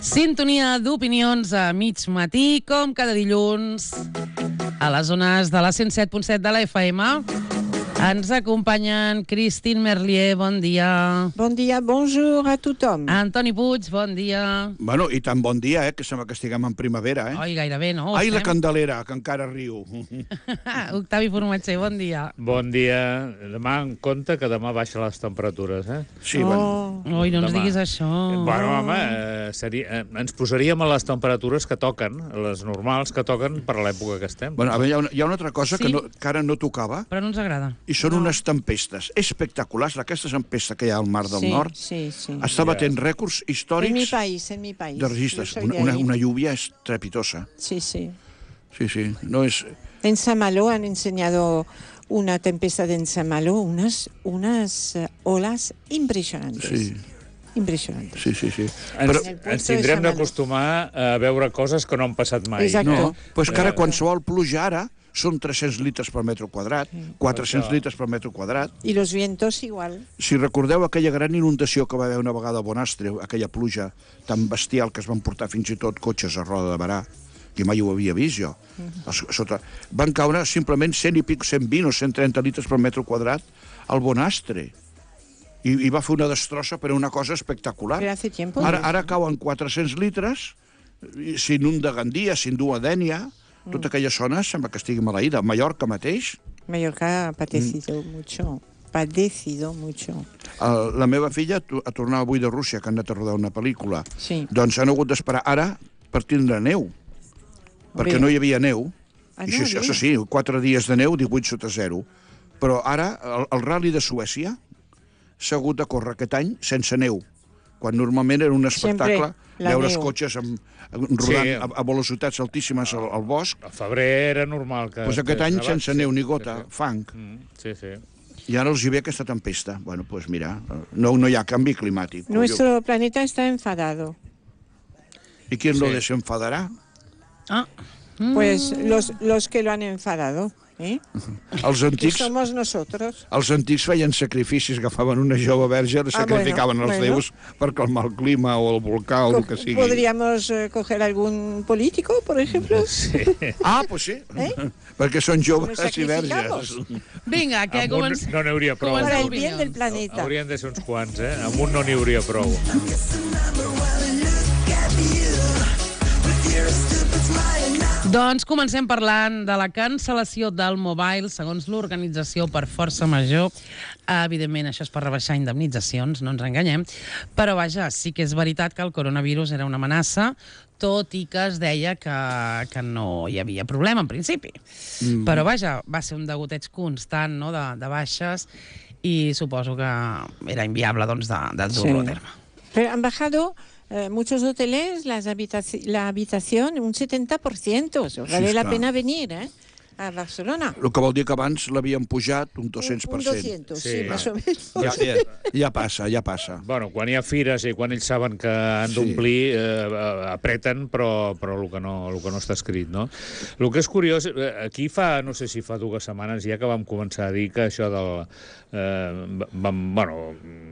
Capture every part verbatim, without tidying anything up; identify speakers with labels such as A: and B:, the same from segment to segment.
A: Sintonia d'opinions a mig matí, com cada dilluns, a les zones de la cent set punt set de la F M. Ens acompanyen Christine Merlier, bon dia.
B: Bon dia, bonjour a tothom.
A: Antoni Puig, bon dia.
C: Bueno, i tan bon dia, eh, que sembla que estiguem en primavera, eh?
A: Oi, gairebé, no?
C: Ai, la Candelera, que encara riu.
A: Octavi Formatger, bon dia.
D: Bon dia. Demà en compte que demà baixen les temperatures, eh?
C: Sí,
B: Oh.
C: bueno.
A: Oi, no ens
D: Demà.
A: diguis això.
D: Bueno, home, eh, seria, eh, ens posaríem a les temperatures que toquen, les normals que toquen per l'època que estem.
C: Bueno, a veure, hi ha una, hi ha una altra cosa
A: Sí.
C: que, no, que ara no tocava,
A: Però no ens agrada.
C: i són unes tempestes espectaculars. Aquesta tempesta que hi ha al Mar del
B: Sí,
C: Nord
B: sí, sí.
C: està batent rècords
B: En mi
C: històrics
B: país, en mi país.
C: de registres.
B: Yo soy
C: Una,
B: de
C: una,
B: ahí.
C: una lluvia estrepitosa.
B: Sí, sí.
C: Sí, sí. No és...
B: En Saint-Malo han enseñado una tempestad en Saint-Malo, unas, unas eh, olas impresionantes.
C: Sí,
B: Impresionantes.
C: sí, sí. sí.
D: Ens,
B: En el puerto
D: ens
B: de
D: tindrem
B: Saint-Malo.
D: d'acostumar a veure coses que no han passat mai.
B: Exacte.
C: No, però és que ara
D: Eh,
C: qualsevol pluja ara són tres-cents litres per metre quadrat, quatre-cents
D: Això.
C: litres per metre quadrat.
B: Y los vientos igual.
C: Si recordeu aquella gran inundació que va haver una vegada a Bonastre, aquella pluja tan bestial que es van portar fins i tot cotxes a Roda de Barà, que mai ho havia vist jo, a sota, van caure simplement cent i pic, cent vint o cent trenta litres per metre quadrat al Bonastre. I, i va fer una destrossa per una cosa espectacular.
B: Pero hace tiempo.
C: Ara,
B: de
C: ara
B: eso.
C: cauen quatre-cents litres, i s'inunda Gandia, s'indua Dénia, tota aquella zona sembla que estigui maleïda. Mallorca mateix,
B: Mallorca ha padecido mucho. Padecido mucho.
C: eh, la meva filla tu- a tornar avui de Rússia, que han anat a rodar una pel·lícula,
B: Sí.
C: doncs han hagut d'esperar ara per tindre neu, perquè
B: Bé.
C: no hi havia neu.
B: Ah,
C: I
B: no,
C: això,
B: bé.
C: això sí, quatre dies de neu, divuit sota zero. Però ara, el, el Rally de Suècia s'ha hagut de córrer aquest any sense neu, quan normalment era un espectacle
B: Sempre la
C: veure els
B: neu.
C: cotxes amb, rodant
D: Sí.
C: a, a velocitats altíssimes al, al bosc.
D: A febrer era normal que...
C: Doncs aquest
D: que
C: any
D: nevat,
C: sense
D: sí,
C: neu ni
D: sí,
C: gota,
D: sí.
C: fang.
D: Mm, sí, sí.
C: I ara els hi ve aquesta tempesta. Bueno, doncs mira, no, no hi ha canvi climàtic.
B: Nuestro planeta está enfadado.
C: I qui
D: Sí.
C: lo desenfadarà?
A: Ah,
B: Pues los, los que lo han enfadado. ¿eh?
C: Els
B: Que
C: antics,
B: somos nosotros.
C: els antics feien sacrificis, agafaven una jove verge, la
B: Ah,
C: sacrificaven
B: bueno,
C: als
B: bueno.
C: déus per calmar el clima o el volcà o el que sigui.
B: ¿Podríamos eh, coger algún político, por ejemplo?
D: Sí.
C: Ah, doncs sí,
B: Eh?
C: perquè són joves
B: Nos
C: i verges.
B: sacrificamos.
A: vinga, que
D: Amb un
A: comencem.
D: no n'hi hauria prou.
A: Comencem.
B: Para el
A: opinions.
B: bien del planeta.
D: Haurien de ser uns quants, eh? Amb un no n'hi hauria prou.
A: Doncs comencem parlant de la cancel·lació del Mobile, segons l'organització per força major. Evidentment, això és per rebaixar indemnitzacions, no ens enganyem, però vaja, sí que és veritat que el coronavirus era una amenaça, tot i que es deia que, que no hi havia problema en principi. Mm. Però vaja, va ser un degoteig constant, no?, de, de baixes, i suposo que era inviable, doncs, de, de dur-ho a terme.
B: Pero han bajado eh, muchos hoteles las habitaci- la habitación un setenta por ciento. Eso
C: Sí,
B: vale la
C: esclar.
B: pena venir eh, a Barcelona.
C: El que vol dir que abans l'havien pujat un dos-cents per
B: Un
C: cent.
B: doscientos, sí,
D: Sí.
B: más o menos.
C: Ja, ja, ja passa, ja passa.
D: Bueno, quan hi ha fires i quan ells saben que han
C: Sí.
D: d'omplir, eh, apreten, però, però el, que no, el que no està escrit, no? El que és curiós, eh, aquí fa, no sé si fa dues setmanes ja que vam començar a dir que això del... Eh, vam, bueno,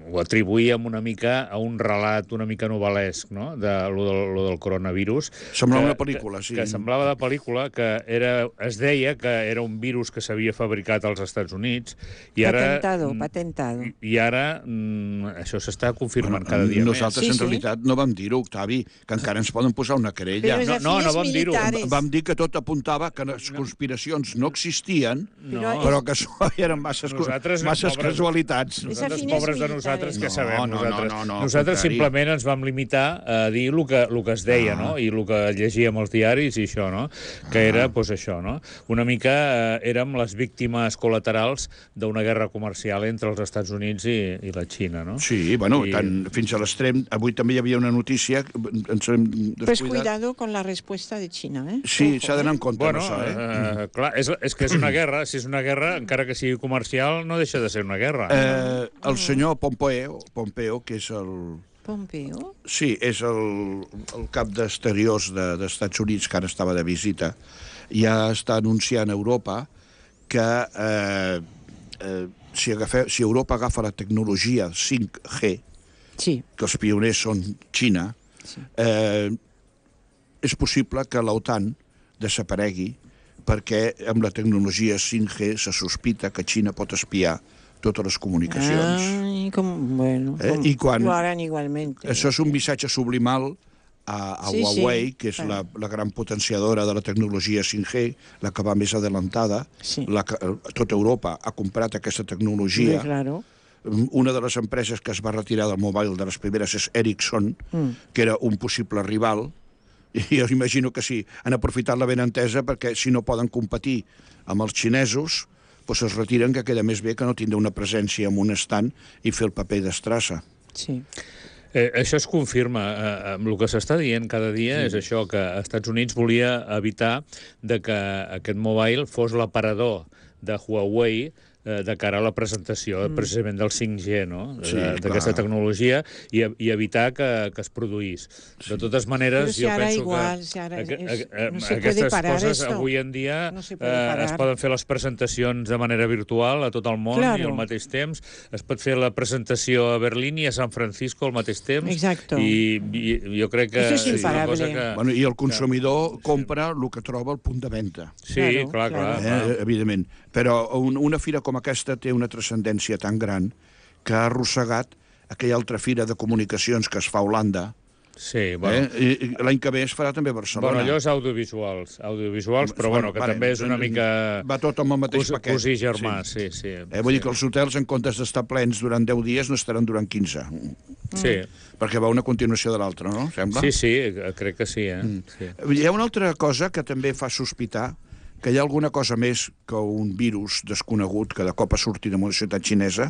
D: ho atribuïem una mica a un relat una mica novel·lesc, no?, de lo del, lo del coronavirus.
C: Semblava
D: que-
C: una pel·lícula, sí.
D: Que, que semblava de pel·lícula, que era, es deia que era un virus que s'havia fabricat als Estats Units, i ara...
B: Patentado,
D: mm,
B: patentado.
D: I, i ara mm, això s'està confirmant cada dia
C: Nosaltres,
B: Sí,
C: en
B: sí.
C: realitat, no vam dir-ho, Octavi, que encara ens poden posar una querella.
B: Pero es
D: no,
B: a
D: no,
B: fines
D: no vam dir-ho.
B: militares.
C: Vam dir que tot apuntava que les conspiracions no existien,
D: més.
B: Però
C: però que això eren masses,
D: Nosaltres,
C: masses
D: pobres-
C: casualitats.
B: És a
D: Nosaltres,
B: fines
D: pobres de
B: militares.
D: nosaltres, què
C: No,
D: sabem?
C: no, no,
D: nosaltres
C: no, no, al
D: nosaltres
C: contrari.
D: simplement ens vam limitar a dir el que, el que es deia,
C: Ah.
D: no?, i el que llegíem als diaris i això, no?, que era, doncs, això, no? Una mica eh, érem les víctimes col·laterals d'una guerra comercial entre els Estats Units i, i la Xina, no?
C: Sí, bueno,
D: I-
C: tant, fins a l'extrem. Avui també hi havia una notícia, ens hem
B: Pues
C: descuidat.
B: cuidado con la respuesta de China. ¿eh?
C: Sí,
B: Ojo,
C: s'ha d'anar en
B: ¿eh?
C: compte,
D: Bueno,
C: no, això, eh?
D: eh, clar, és, és que és una guerra. Si és una guerra, encara que sigui comercial, no deixa de ser una guerra.
C: Eh, el senyor Pompeo, Pompeo, que és el...
B: Pompeo.
C: Sí, és el, el cap d'exteriors de, dels Estats Units, que ara estava de visita, ja està anunciant a Europa que eh, eh, si, agafe, si Europa agafa la tecnologia cinc G,
B: Sí,
C: que els pioners són Xina, eh, és possible que l'OTAN desaparegui perquè amb la tecnologia cinc G se sospita que Xina pot espiar totes les comunicacions.
B: Ay, com, bueno,
C: Eh,
B: com,
C: i quan-
B: lo harán igualmente.
C: Això és un missatge sublimal a, a
B: Sí, sí,
C: Huawei, que és
B: clar.
C: la, la gran potenciadora de la tecnologia cinc G, la que va més adelantada.
B: Sí.
C: La que, tota Europa ha comprat aquesta
B: Sí,
C: tecnologia.
B: claro.
C: Una de les empreses que es va retirar del mobile de les primeres és Ericsson,
B: Mm.
C: que era un possible rival, i jo imagino que sí, han aprofitat la benentesa perquè si no poden competir amb els xinesos, doncs es retiren, que queda més bé que no tindre una presència en un estand i fer el paper d'estrassa.
B: Sí.
D: Eh, això es confirma. Eh, amb el que s'està dient cada dia sí. és això, que els Estats Units volia evitar de que aquest mobile fos l'aparador de Huawei eh, de cara a la presentació mm. precisament del cinc G, no?
C: Sí,
D: d'aquesta
C: clar.
D: tecnologia i, i evitar que, que es produís. Sí. De totes maneres,
B: Però si
D: jo
B: ara
D: penso
B: igual,
D: que
B: si ara
D: aqu-
B: és-
D: aqu-
B: no se puede
D: aquestes
B: parar
D: coses
B: esto.
D: avui en dia
B: No se puede
D: eh,
B: parar.
D: es poden fer les presentacions de manera virtual a tot el món
B: Claro.
D: i al mateix temps. Es pot fer la presentació a Berlín i a San Francisco al mateix temps.
B: Exacto.
D: I, i jo crec que
B: Eso es
D: és una
B: imparable.
D: cosa que...
C: Bueno, I el consumidor compra el que troba al punt de venda.
D: Sí,
B: Claro,
D: clar, clar.
B: claro.
D: clar.
C: Eh, evidentment. Però un, una fira com aquesta té una transcendència tan gran que ha arrossegat aquella altra fira de comunicacions que es fa a Holanda.
D: Sí, bueno.
C: Eh? I, i l'any que ve es farà també a Barcelona.
D: Bueno, allò és audiovisuals, audiovisuals, però bueno, que
C: Vale,
D: també és una
C: vale,
D: mica...
C: va tot amb el mateix
D: cos,
C: paquet.
D: Cosí germà, sí, sí.
C: Eh, vull
D: sí.
C: dir que els hotels, en comptes d'estar plens durant deu dies, no estaran durant quinze.
D: Sí,
C: Perquè va una continuació de l'altra, no? Sembla?
D: sí, sí, crec que sí, eh?
C: Mm.
D: Sí.
C: Hi ha una altra cosa que també fa sospitar que hi ha alguna cosa més que un virus desconegut que de cop ha sortit en una ciutat xinesa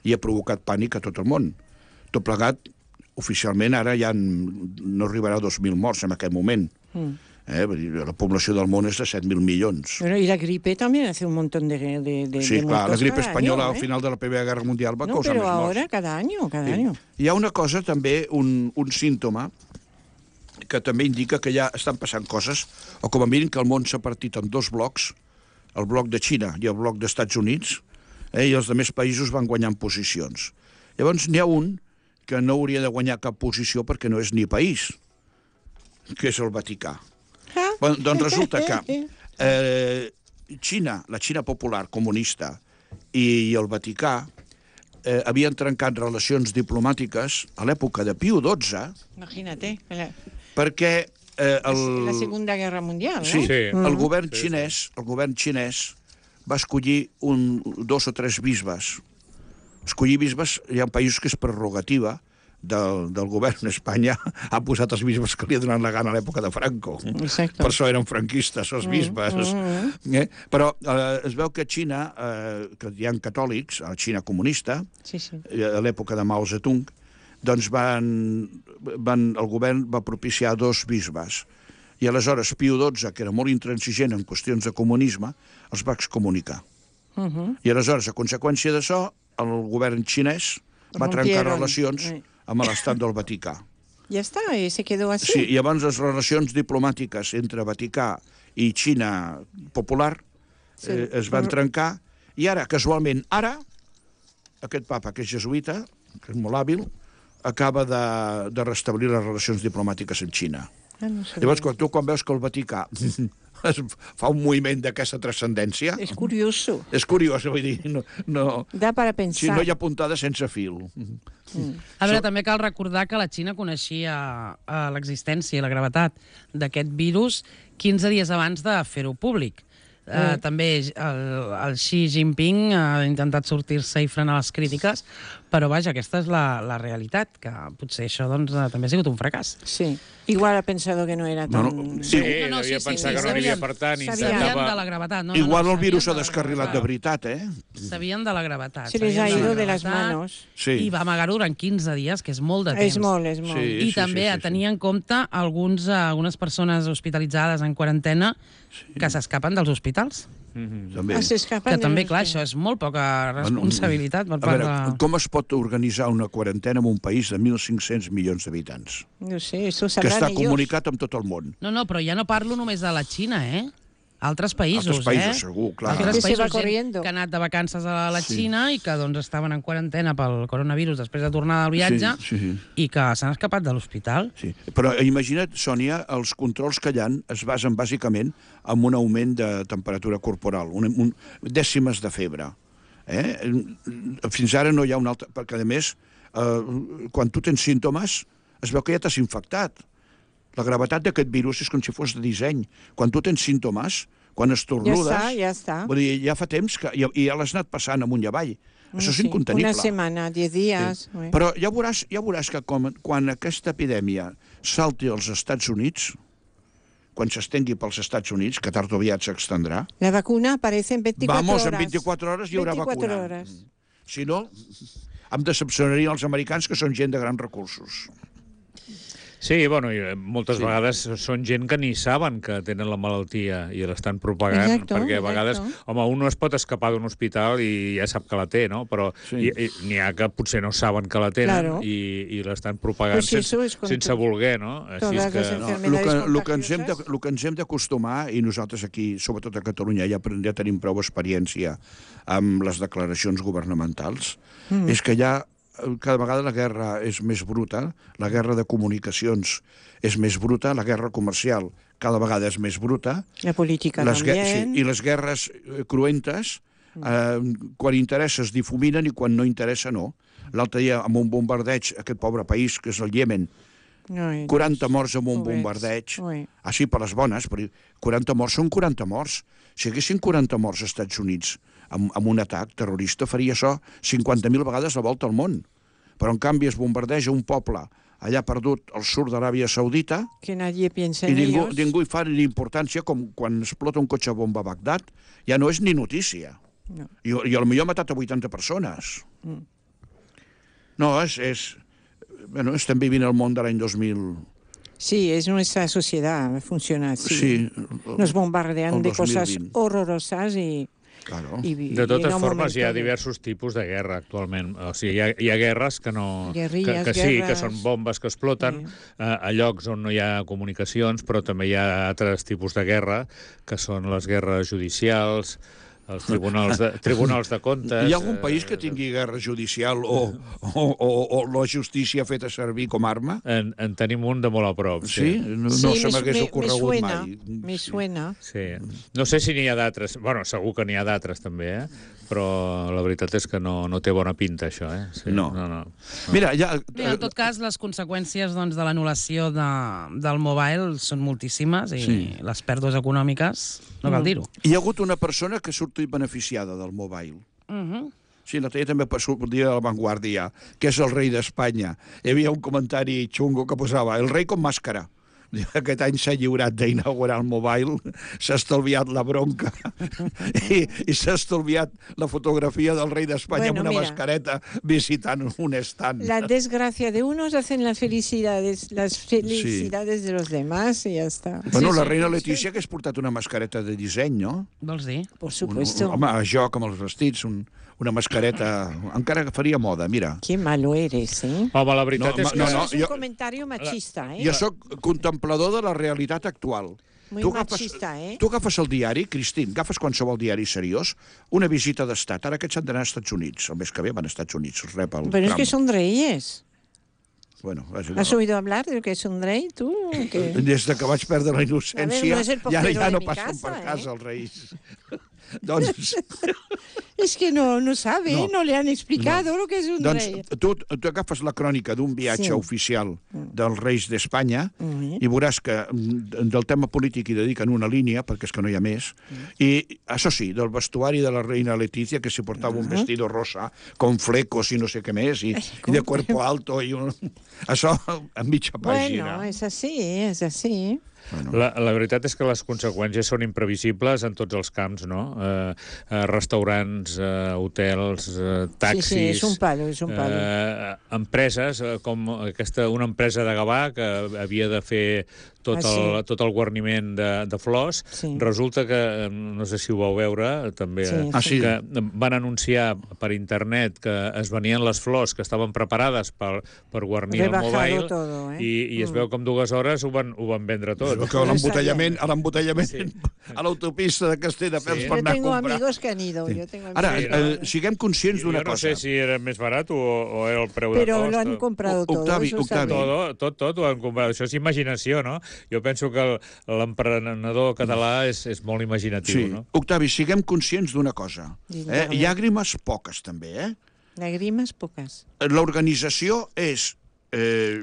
C: i ha provocat pànic a tot el món. Tot plegat, oficialment, ara ja no arribarà a dos mil morts en aquest moment.
B: Mm.
C: Eh? Vull dir, la població del món és de set mil milions.
B: Bueno, y la gripe también hace un montón de, de, de,
C: Sí,
B: de
C: clar, la
B: muertos
C: gripe
B: cada
C: espanyola
B: año,
C: al
B: ¿eh?
C: final de la Primera Guerra Mundial va
B: No,
C: causar
B: pero
C: més morts.
B: ahora cada año, cada
C: Sí.
B: año.
C: Hi ha una cosa també, un, un símptoma, que també indica que ja estan passant coses, o com a mínim que el món s'ha partit en dos blocs, el bloc de Xina i el bloc dels Estats Units, eh, i els altres països van guanyant posicions. Llavors n'hi ha un que no hauria de guanyar cap posició perquè no és ni país, que és el Vaticà.
B: Ah.
C: Bueno, doncs resulta que eh, Xina, la Xina popular comunista i, i el Vaticà eh, havien trencat relacions diplomàtiques a l'època de Piu dotze
B: Imagínate, la,
C: perquè eh, el,
B: la Segunda Guerra Mundial,
C: sí,
B: ¿no?
D: Sí.
C: el govern
D: Sí, sí.
C: xinès, el govern xinès va escollir un, dos o tres bisbes. Escollir bisbes, hi ha països que és prerrogativa del, del govern. Espanya ha posat els bisbes que li ha donat la gana a l'època de Franco.
B: Exacto.
C: Per això eren franquistes, els bisbes. Mm, mm. Eh? Però eh, es veu que a Xina, eh, que hi ha catòlics, a la Xina comunista,
B: Sí, sí.
C: eh, a l'època de Mao Zedong, doncs van, van, el govern va propiciar dos bisbes. I aleshores Piu dotze, que era molt intransigent en qüestions de comunisme, els va excomunicar.
B: Uh -huh.
C: I aleshores, a conseqüència d'això, el govern xinès va trencar
B: Rompieron.
C: relacions
B: Eh.
C: amb l'estat del Vaticà.
B: Ya está, y se quedó así.
C: Sí, i llavors les relacions diplomàtiques entre Vaticà i Xina popular
B: Sí.
C: eh, es van trencar, i ara, casualment, ara, aquest papa, que és jesuïta, que és molt hàbil, acaba de, de restablir les relacions diplomàtiques amb Xina.
B: Ah, no sabía.
C: Llavors, quan tu quan veus que el Vaticà es fa un moviment d'aquesta transcendència,
B: Es curioso.
C: és curiós, vull dir, no, no,
B: Da para
C: si
B: pensar.
C: no hi ha puntada sense fil.
A: A veure, també cal recordar que la Xina coneixia eh, l'existència i la gravetat d'aquest virus quinze dies abans de fer-ho públic. Uh, també el, el Xi Jinping ha intentat sortir-se i frenar les crítiques, però vaja, aquesta és la, la realitat, que potser això doncs, eh, també ha sigut un fracàs.
B: Sí. Igual ha pensado que no era
C: No,
B: tan...
C: no,
D: Sí,
C: sí.
A: No, no,
D: devia
A: sí, sí,
D: pensar
A: sí,
D: que no aniria
A: sabien-
D: per tant i
B: sabien
A: Sabien
D: intentava...
A: de la gravetat. No, no,
C: Igual
A: no,
C: el virus s'ha
A: sabien de la
C: descarrilat de
A: gravetat.
C: veritat, eh?
A: Sabien de la gravetat.
B: Se les
A: sabien
B: ha
A: la
B: ido de las
A: gravetat,
B: manos.
C: Sí.
A: I va amagar-ho durant quinze dies, que és molt de temps.
B: És molt, és molt.
C: Sí.
A: I també a tenir en compte alguns, eh, algunes persones hospitalitzades en quarantena que s'escapen dels hospitals.
C: També.
B: Ah, s'escapen
A: Que
B: de
A: també,
B: los
A: clar,
B: que-
A: això és molt poca responsabilitat per
C: A
A: part
C: veure,
A: de...
C: com es pot organitzar una quarantena en un país de mil cinc-cents milions d'habitants?
B: No sé, eso
C: Que
B: sabrán
C: està
B: ellos.
C: comunicat amb tot el món.
A: No, no, però ja no parlo només de la Xina, eh? Altres països,
C: Altres països,
A: eh?
C: segur, clar.
A: Altres
B: Que se va
A: països, gent
B: corriendo.
A: que ha anat de vacances a la
C: Sí.
A: Xina i que doncs, estaven en quarantena pel coronavirus després de tornar del viatge
C: Sí, sí.
A: i que s'han escapat de l'hospital.
C: Sí. Però imagina't, Sònia, els controls que hi ha es basen bàsicament en un augment de temperatura corporal, un, un, dècimes de febre. Eh? Fins ara no hi ha un altre... Perquè, a més, eh, quan tu tens símptomes, es veu que ja t'has infectat. La gravetat d'aquest virus és com si fos de disseny. Quan tu tens símptomes, quan estornudes...
B: Ja està, ja està.
C: Vull dir, ja fa temps que... I, i ja l'has anat passant amunt i avall. Això és
B: Sí,
C: incontenible.
B: Una setmana, diez dies...
C: Sí.
B: Sí.
C: Però ja veuràs, ja veuràs que com, quan aquesta epidèmia salti als Estats Units, quan s'estengui pels Estats Units, que tard o aviat s'extendrà,
B: La vacuna aparece en veinticuatro
C: vamos,
B: horas.
C: en vint-i-quatre hores hi haurà
B: veinticuatro
C: vacuna.
B: horas.
C: Si no, em decepcionarien els americans, que són gent de grans recursos.
D: Sí, bueno, i moltes
C: Sí.
D: sí. vegades són gent que ni saben que tenen la malaltia i l'estan propagant,
B: Exacto,
D: perquè a vegades,
B: exacto.
D: home, un no es pot escapar d'un hospital i ja sap que la té, no? Però
C: Sí.
D: sí. n'hi ha que potser no saben que la tenen
B: Claro.
D: i, i l'estan propagant
B: Pues eso
D: sense,
B: es con
D: sense
B: tu-
D: voler, no?
B: todas las
C: No, el
B: enfermedades
C: que, el que ens hem de,
B: contagiosas.
C: el que ens hem d'acostumar, i nosaltres aquí, sobretot a Catalunya, ja, ja tenim prou experiència amb les declaracions governamentals, mm. és que ja cada vegada la guerra és més bruta, la guerra de comunicacions és més bruta, la guerra comercial cada vegada és més bruta,
B: La política
C: les gue-
B: también.
C: sí, i les guerres eh, cruentes, eh, quan interessa es difuminen i quan no interessa no. L'altre dia, amb un bombardeig, aquest pobre país, que és el Iemen,
B: Ai,
C: quaranta morts amb un
B: pobrets.
C: bombardeig,
B: Ui.
C: així per les bones, però quaranta morts són quaranta morts. Si haguessin quaranta morts als Estats Units amb, amb un atac terrorista, faria això cinquanta mil vegades la volta al món. Però, en canvi, es bombardeja un poble allà perdut al sud d'Aràbia Saudita
B: Que nadie piensa
C: i
B: en
C: ningú,
B: ellos.
C: ningú hi fa ni importància, com quan explota un cotxe bomba a Bagdad, ja no és ni notícia.
B: No.
C: I, i potser ha matat a vuitanta persones.
B: Mm.
C: No, és, és... Bueno, estem vivint el món de l'any dos mil...
B: Sí, es nuestra sociedad, funciona así.
C: Sí,
B: Nos bombardean
C: el
B: de
C: dos mil
B: cosas
C: vint.
B: horrorosas y...
C: Claro.
B: y
D: De totes
B: y en un
D: formes, hi ha
B: momento de-
D: diversos tipus de guerra actualment. O sigui, hi ha, hi ha guerres que no...
B: Guerrilles,
D: que, que sí,
B: guerres.
D: que són bombes que exploten
B: Sí.
D: a, a llocs on no hi ha comunicacions, però també hi ha altres tipus de guerra, que són les guerres judicials, els tribunals de, tribunals de comptes...
C: Hi ha algun
D: eh,
C: país que tingui guerra judicial o, o, o, o la justícia feta servir com a arma?
D: En, en tenim un de molt a prop,
C: Sí?
D: sí.
C: No,
B: Sí,
C: no
B: me
C: se
B: su-
C: m'hagués
B: me- me
C: ocorregut
B: suena,
C: mai.
B: Me
C: Sí.
B: suena.
D: Sí. No sé si n'hi ha d'altres. Bueno, segur que n'hi ha d'altres també, eh? Però la veritat és que no, no té bona pinta, això, eh? Sí.
C: No.
D: no, no.
C: Mira, ja...
A: Bé, en tot cas, les conseqüències doncs, de l'anul·lació de, del mobile són moltíssimes i
C: Sí.
A: les pèrdues econòmiques, no cal dir-ho.
C: Hi ha hagut una persona que ha sortit beneficiada del mobile.
A: Uh -huh.
C: Sí, l'altre dia també sortia a La Vanguardia, que és el rei d'Espanya. Hi havia un comentari xungo que posava el rei com màscara. Aquest any s'ha lliurat d'inaugurar el mobile, s'ha estalviat la bronca i, i s'ha estalviat la fotografia del rei d'Espanya
B: Bueno,
C: amb una
B: mira.
C: mascareta visitant un estant.
B: La desgracia de unos hacen las felicidades, las felicidades de los demás y ya está.
C: Bueno,
A: Sí,
C: la
A: sí,
C: reina
B: sí.
C: Letícia hagués portat una mascareta de disseny, no?
A: Vols dir?
B: Por
C: Un,
B: supuesto.
C: home, a joc amb els vestits, un, una mascareta... Encara que faria moda, mira.
B: Qué malo eres, ¿eh?
D: Home, la veritat
C: No,
D: és
C: ma-
D: que...
C: no,
B: Eso
C: no,
B: es un
C: jo-
B: comentario machista, ¿eh?
C: Jo sóc contemplador de la realitat actual.
B: Muy
C: Tu agafes,
B: machista, ¿eh?
C: tu agafes el diari, Cristín, agafes qualsevol diari seriós, una visita d'estat, ara aquests han d'anar als Estats Units, el mes que ve van als Estats Units, els rep el
B: Pero es
C: Trump.
B: que son reyes.
C: Bueno, és igual.
B: ¿Has oído hablar de lo que es un rey, tú? ¿Qué?
C: Des de que vaig perdre la innocència,
B: A ver, no és el
C: ja,
B: portero
C: ja
B: de
C: no
B: mi
C: passen
B: casa,
C: per
B: eh?
C: casa els reis. Doncs,
B: Es que no, no sabe,
C: No.
B: no, le han explicado lo que es un
C: doncs
B: rey.
C: tu, tu agafes la crònica d'un viatge
B: Sí.
C: oficial dels reis d'Espanya
B: Mm.
C: i veuràs que mm, del tema polític hi dediquen una línia, perquè és que no hi ha més, i, això sí, del vestuari de la reina Letícia, que s'hi portava un vestido rosa, con flecos i no sé què més, i, i de cuerpo alto, i un... això en mitja pàgina.
B: Bueno, es así, es así.
D: La, la veritat és que les conseqüències són imprevisibles en tots els camps, no? Eh, eh, restaurants, eh, hotels, eh, taxis...
B: Sí, sí, és un palo, és un palo.
D: Eh, empreses, eh, com aquesta, una empresa de Gavà que havia de fer tot,
B: Ah, sí.
D: el, tot el guarniment de, de flors,
B: Sí.
D: resulta que, eh, no sé si ho vau veure, també,
B: Sí,
D: eh,
C: Ah, sí.
D: que van anunciar per internet que es venien les flors que estaven preparades per, per guarnir el
B: Rebajado
D: mobile
B: todo, eh?
D: i, i es
B: Mm.
D: veu que en dues hores ho van, ho van vendre tot.
C: Que a l'embotellament, a l'embotellament a l'autopista de Castelldefels
D: Sí.
C: per
B: Yo
C: anar a
B: tengo
C: comprar.
B: amigos que han ido. Yo tengo amigos
C: Ara,
B: que
D: Sí,
B: han
C: eh,
B: ido.
C: siguem conscients d'una
D: Jo no
C: cosa.
D: sé si era més barat o, o era el preu
B: Pero
D: de
B: lo
D: cost.
B: han comprado todo.
C: Octavi,
B: eso está
C: Octavi.
B: bien.
D: Tot, tot, tot ho han comprat. Això és imaginació, no? Jo penso que el- l'emprenedor català és, és molt imaginatiu,
C: Sí.
D: no?
C: Octavi, siguem conscients d'una cosa.
B: Digue'm,
C: Eh?
B: a veure.
C: Llàgrimes poques, també, eh?
B: Lágrimas pocas.
C: L'organització és eh,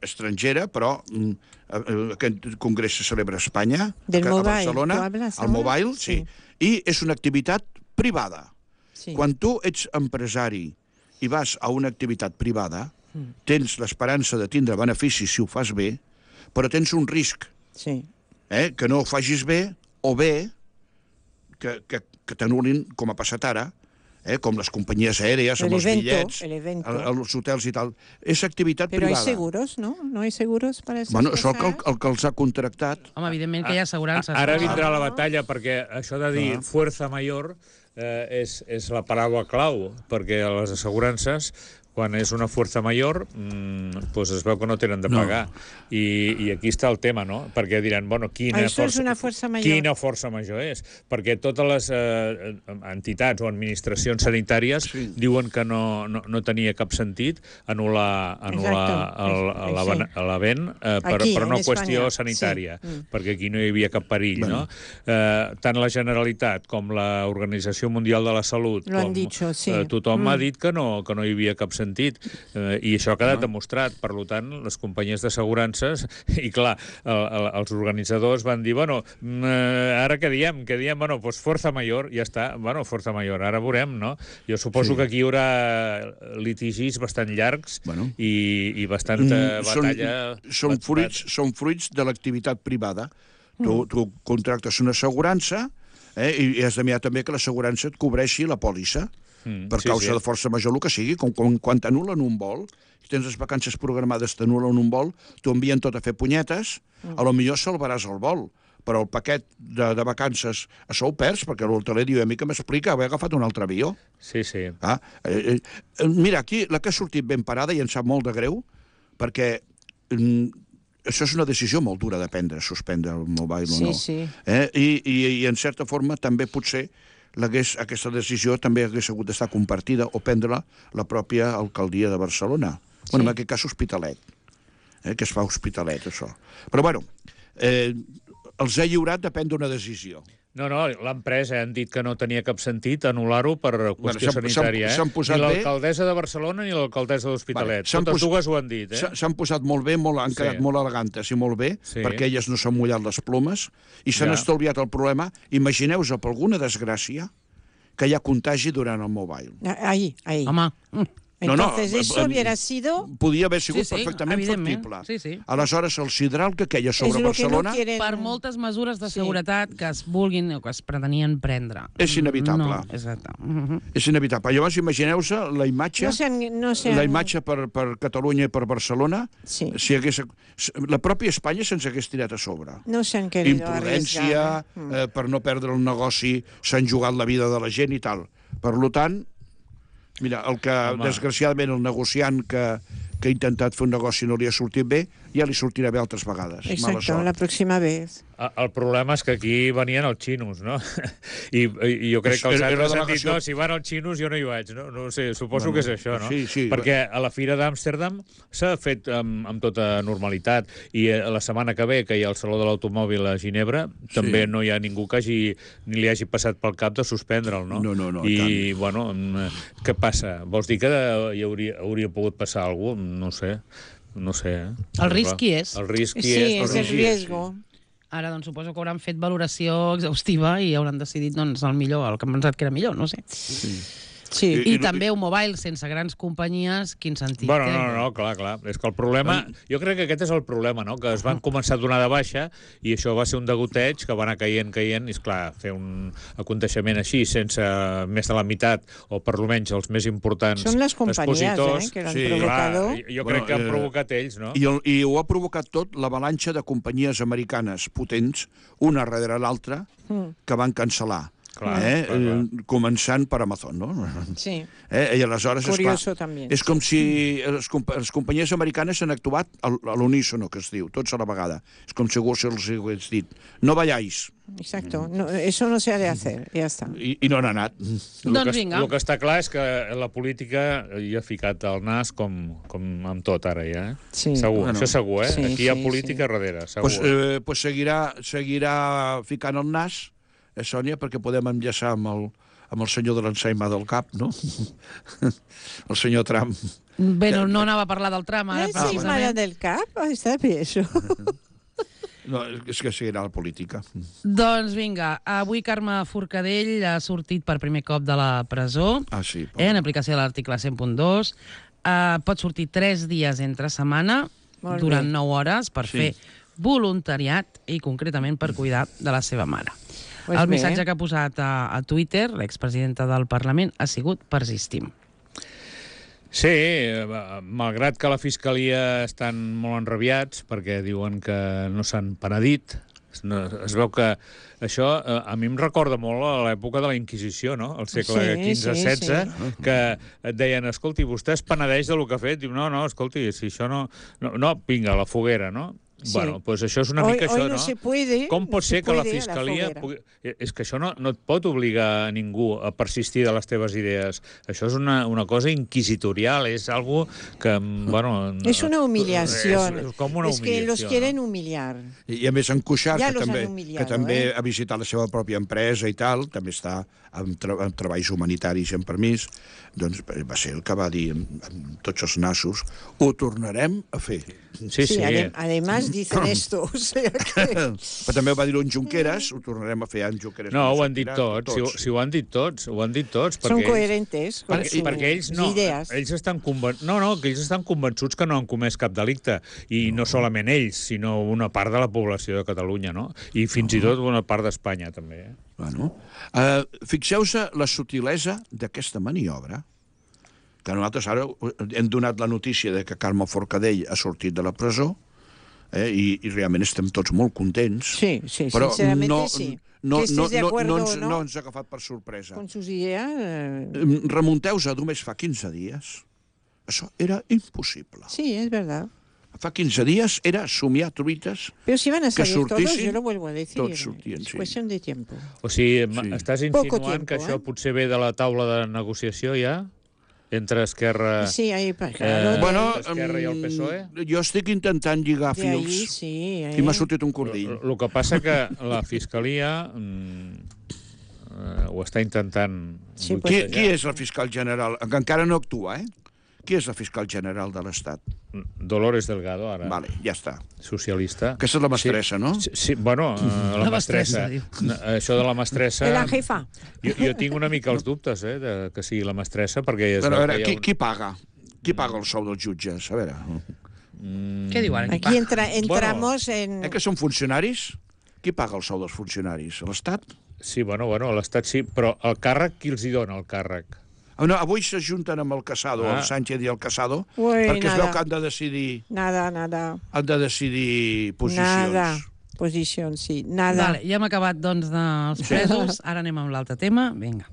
C: estrangera, però mm, eh, aquest congrés se celebra a Espanya,
B: Del
C: a
B: Mobile,
C: Barcelona,
B: ¿tú hablas
C: al
B: ahora?
C: Mobile, sí.
B: Sí.
C: I és una activitat privada.
B: Sí.
C: Quan tu ets empresari i vas a una activitat privada, tens l'esperança de tindre beneficis si ho fas bé, però tens un risc,
B: Sí.
C: eh? que no ho facis bé, o bé que, que, que t'anul·lin, com ha passat ara, eh? com les companyies aèries, amb
B: El
C: els
B: evento,
C: bitllets,
B: el evento.
C: el- els hotels i tal. És activitat
B: Pero hay
C: privada.
B: seguros, ¿no? ¿No hay seguros para esas
C: Bueno, és el que,
B: cosas?
C: el, el que els ha contractat.
A: Home, evidentment que hi ha assegurances.
D: Ara
A: però-
D: vindrà la batalla, perquè això de dir
C: Ah.
D: fuerza mayor eh, és, és la paraula clau, perquè les assegurances, quan és una fuerza mayor, mmm, pues es veu que no tenen de
C: No.
D: pagar. I, I aquí està el tema, no? Perquè diran, bueno, quina,
B: Ah, això és
D: força,
B: una fuerza mayor.
D: quina força major és? Perquè totes les eh, entitats o administracions sanitàries
C: Sí.
D: diuen que no, no, no tenia cap sentit anul·lar, anul·lar
B: Exacte.
D: el- el-
B: Sí.
D: l'event eh, per,
B: Aquí,
D: per una
B: en
D: qüestió
B: Espanya.
D: sanitària,
B: Sí. Mm.
D: perquè aquí no hi havia cap perill,
C: Bueno.
D: no? Eh, tant la Generalitat com l'Organització Mundial de la Salut,
B: Lo han
D: com
B: dicho, sí.
D: eh, tothom
B: Mm.
D: ha dit que no, que no hi havia cap sentit. Eh, I això ha quedat demostrat. Per tant, les companyies d'assegurances, i clar, el, el, els organitzadors van dir, bueno, mm, eh, ara què diem? Què diem? Bueno, doncs força major, ja està. Bueno, força major, ara veurem, no? Jo suposo
C: Sí.
D: que aquí hi haurà litigis bastant llargs
C: Bueno.
D: i, i bastanta
C: Mm,
D: batalla...
C: Són, són,
D: bat-
C: fruits, són fruits de l'activitat privada. Tu, tu contractes una assegurança eh, i, i has de mirar també que l'assegurança et cobreixi la pòlissa
D: Mm,
C: per
D: sí,
C: causa
D: sí.
C: de força major, el que sigui. Com, com, quan t'anulen un vol, si tens les vacances programades, t'anulen un vol, t'ho envien tot a fer punyetes, a lo millor salvaràs el vol, però el paquet de, de vacances això ho perds, perquè l'hoteler diu, a mi que m'explica haver agafat un altre avió.
D: Sí, sí.
C: Ah, eh, eh, mira, aquí la que ha sortit ben parada i em sap molt de greu, perquè mm, això és una decisió molt dura de prendre, suspendre el mobile
B: Sí,
C: o no.
B: sí.
C: Eh? I, i, I, en certa forma, també potser l'hagués, aquesta decisió també hagués hagut d'estar compartida o prendre-la la pròpia alcaldia de Barcelona. Sí. Bueno, en aquest cas, Hospitalet, eh? que es fa Hospitalet, això. Però, bueno, eh, els ha lliurat de prendre una decisió.
D: No, no, l'empresa han dit que no tenia cap sentit anul·lar-ho per qüestió
C: s'han-
D: sanitària,
C: s'han- s'han
D: eh?
C: posat
D: Ni
C: bé.
D: l'alcaldessa de Barcelona ni l'alcaldessa de l'Hospitalet.
C: s'han
D: Totes
C: pos-
D: dues ho han dit, eh?
C: S'ha- S'han posat molt bé, molt, han
D: Sí.
C: quedat molt elegantes i molt bé,
D: Sí.
C: perquè elles no s'han mullat les plomes i s'han
D: Ja.
C: estalviat el problema. Imagineu-vos, per alguna desgràcia, que hi ha contagi durant el mobile.
B: Ahí, ahí.
A: Home, mm,
C: No, no,
B: Entonces,
C: eh,
B: eso
C: eh,
B: hubiera sido...
C: Podia haver sigut
A: Sí, sí,
C: perfectament
A: evidentment.
C: factible.
A: Sí, sí.
C: Aleshores, el sidral que queia sobre
B: es lo que
C: Barcelona
B: no quieren...
A: per moltes mesures de seguretat que es vulguin o que es pretenien prendre.
C: És inevitable.
A: No, exacte. Mhm.
C: és inevitable. Llavors, imagineu-se la imatge,
B: No sean... No sean...
C: la imatge per, per Catalunya i per Barcelona,
B: Sí.
C: si hagués, la pròpia Espanya se'ns hagués tirat a sobre.
B: No se han querido
C: Imprudència,
B: arriesgar, ¿eh? Mm.
C: eh, per no perdre el negoci, s'han jugat la vida de la gent i tal. Per tant, mira, el que,
D: Home.
C: desgraciadament, el negociant que, que ha intentat fer un negoci no li ha sortit bé, ja li sortirà bé altres vegades. Mala
B: Exacto,
C: sort.
B: la próxima vez.
D: El problema és que aquí venien els xinos, no? I, i jo crec que els
C: Era- era
D: altres han dit,
C: delegació-
D: no, si van els xinos jo no hi vaig, no? No ho sé, suposo
C: Bueno,
D: que és això, no?
C: sí, sí.
D: Perquè a la Fira d'Amsterdam s'ha fet amb, amb tota normalitat i eh, la setmana que ve, que hi ha el Saló de l'Automòbil a Ginebra, també no hi ha ningú que hagi, ni li hagi passat pel cap de suspendre'l, no?
C: No, no, no, i
D: I, bueno, mm, què passa? Vols dir que hi hauria, hauria pogut passar alguna cosa? No ho sé. No sé, eh?
A: El risc qui és?
D: El risc qui
B: Sí,
D: és?
B: es el
C: sí,
B: riesgo.
A: Ara, doncs, suposo que hauran fet valoració exhaustiva i hauran decidit, doncs, el millor, el que han pensat que era millor, no sé.
C: Sí.
B: Sí.
A: I,
C: I-
A: I també un mobile sense grans companyies, quin sentit
D: Bueno,
A: té?
D: no, no, no, clar, clar. És que el problema... Jo crec que aquest és el problema, no? Que es van començar a donar de baixa i això va ser un degoteig que va anar caient, caient, i, esclar, fer un aconteixement així sense més de la meitat, o per almenys els més importants
B: Són les companyies,
D: expositors,
B: eh, que l'han
C: Sí,
B: provocat.
D: clar, jo crec
C: Bueno,
D: que han
C: eh,
D: provocat ells, no?
C: I, el, I ho ha provocat tot l'avalanxa de companyies americanes potents, una darrere l'altra, que van cancel·lar.
D: Clar,
C: eh?
D: clar, clar.
C: Eh, començant per Amazon, no?
B: Sí.
C: Eh? I aleshores,
B: Curioso,
C: esclar,
B: també.
C: és com si les, compa les companyies americanes han actuat al- a l'unísono, que es diu, tots a la vegada. És com si algú se'ls hagués dit, no vayáis,
B: Exacto. No, eso no se ha de hacer, ya está.
C: i, i no han anat.
D: El
A: Doncs
D: que,
A: vinga.
D: el que està clar és que la política hi ha ficat el nas com, com amb tot ara ja, eh?
B: Sí.
D: Segur,
C: Bueno.
D: això segur, eh?
B: Sí,
D: Aquí hi ha
B: sí,
D: política
B: sí.
D: darrere, segur.
C: Pues, eh, pues seguirà, seguirà ficant el nas, eh, Sònia, perquè podem enllaçar amb el, amb el senyor de l'ensaïma del cap, no? El senyor Trump.
A: Bé, no, no anava a parlar del tram, ara,
B: La encimada
A: precisament.
B: del cap, ah, està bé, això.
C: No, és que seguirà la política.
A: Doncs vinga, avui Carme Forcadell ha sortit per primer cop de la presó,
C: Ah, sí.
A: eh, en aplicació de l'article cent punt dos. Uh, pot sortir tres dies entre setmana,
B: Molt
A: durant
B: bé.
A: nou hores, per
C: Sí.
A: fer voluntariat i concretament per cuidar de la seva mare.
B: Pues
A: El
B: bé.
A: missatge que ha posat a, a Twitter l'expresidenta del Parlament ha sigut persistim.
D: Sí, eh, malgrat que la Fiscalia estan molt enrabiats perquè diuen que no s'han penedit, no, es veu que això eh, a mi em recorda molt a l'època de la Inquisició, no? Al segle
B: Sí,
D: quinze
B: sí,
D: setze,
B: sí.
D: que et deien, escolti, vostè es penedeix del que ha fet? Diu, no, no, escolti, si això no... No, no vinga, a la foguera, no?
B: Sí.
D: Bueno, doncs això és una
B: Hoy-
D: mica
B: hoy
D: això,
B: no
D: no?
B: se puede,
D: Com pot
B: no se
D: ser que la
B: puede a la
D: Fiscalia...
B: foguera.
D: Pugui... És que això no, no et pot obligar a ningú a persistir de les teves idees. Això és una, una cosa inquisitorial, és algo que, bueno...
B: Es una humillación.
D: És, és com una
B: es que los
D: humillació,
B: quieren
D: no?
B: humillar.
C: I, I a més en Cuixart,
B: Ja
C: que,
B: los
C: també,
B: han humillado,
C: que també
B: eh?
C: ha visitat la seva pròpia empresa i tal, també està amb, tra amb treballs humanitaris en permís, doncs va ser el que va dir amb, amb tots els nassos, ho tornarem a fer.
D: Sí, sí.
B: ade- además dicen esto. O sea que...
C: Però també ho va dir en Junqueras, ho tornarem a fer en Junqueras.
D: No,
C: com
D: ho han dit
C: sortirà,
D: tots, si, ho- si ho han dit tots, ho han dit tots.
B: Son
D: perquè ells-
B: coherentes con
D: Perquè,
B: sus
D: perquè ells no,
B: ideas.
D: ells estan conven... no, no, que ells estan convençuts que no han comès cap delicte, i no, no solament ells, sinó una part de la població de Catalunya, no? I fins i tot una part d'Espanya, també. Eh?
C: Bueno, uh, fixeu-se la sutilesa d'aquesta maniobra, que nosaltres ara hem donat la notícia de que Carme Forcadell ha sortit de la presó, eh, i, i realment estem tots molt contents.
B: Sí, sí,
C: però
B: sinceramente
C: no,
B: sí.
C: no,
B: Que estés
C: no,
B: de
C: no,
B: acuerdo
C: no, ens,
B: o no.
C: no ens ha agafat per sorpresa.
B: Con sus ideas... eh,
C: Em, Remunteu-vos a només fa quinze dies. Això era impossible.
B: Sí, es verdad.
C: Fa quinze dies era somiar truites.
B: Pero si van a
C: Que
B: salir todos,
C: sortissin,
B: yo lo vuelvo a decir.
C: tots sortien,
B: es
C: sí.
B: cuestión de tiempo.
D: O sigui,
C: Sí.
D: sí. estàs
B: Poco
D: insinuant
B: tiempo,
D: que això
B: eh?
D: potser ve de la taula de negociació ja? Entre Esquerra,
B: Sí, ahí, pa-
D: eh,
B: claro, de,
C: Bueno,
D: Esquerra i el P S O E?
C: em, jo estic intentant lligar
B: de ahí,
C: fils
B: sí.
C: i m'ha
B: eh.
C: sortit un cordill.
D: El que passa que la Fiscalia mm, eh, ho està intentant
B: Sí, pues-
C: Qui,
D: boicotejar.
C: qui és la fiscal general? Que encara no actua, eh? Qui és la fiscal general de l'Estat?
D: Dolores Delgado, ara,
C: Vale, ja està.
D: socialista.
C: Aquesta és la mestressa, no?
D: Sí, sí, bueno, eh, la,
A: La
D: mestressa.
A: mestressa, diu.
D: No, això de la mestressa...
B: De la jefa.
D: Jo, jo tinc una mica els dubtes, eh, de que sigui la mestressa, perquè es
C: Però, a
D: veu
C: veure,
D: que hi ha
C: qui,
D: un-
C: qui paga? Qui paga el sou dels jutges? A veure,
A: Què diu ara?
B: Aquí entra, entramos en...
C: eh que són funcionaris? Qui paga el sou dels funcionaris? L'Estat?
D: Sí, bueno, bueno, l'Estat sí, però el càrrec, qui els hi dona, el càrrec?
C: Ah, no, avui s'ajunten amb el Casado,
D: Ah.
C: el Sánchez i el Casado,
B: Ui,
C: perquè es
B: nada.
C: veu que han de decidir,
B: Nada, nada.
C: han de decidir posicions.
B: Nada. Posición, sí. Nada.
A: Vale, ja hem acabat, doncs, dels presos. Ara anem amb l'altre tema. Vinga,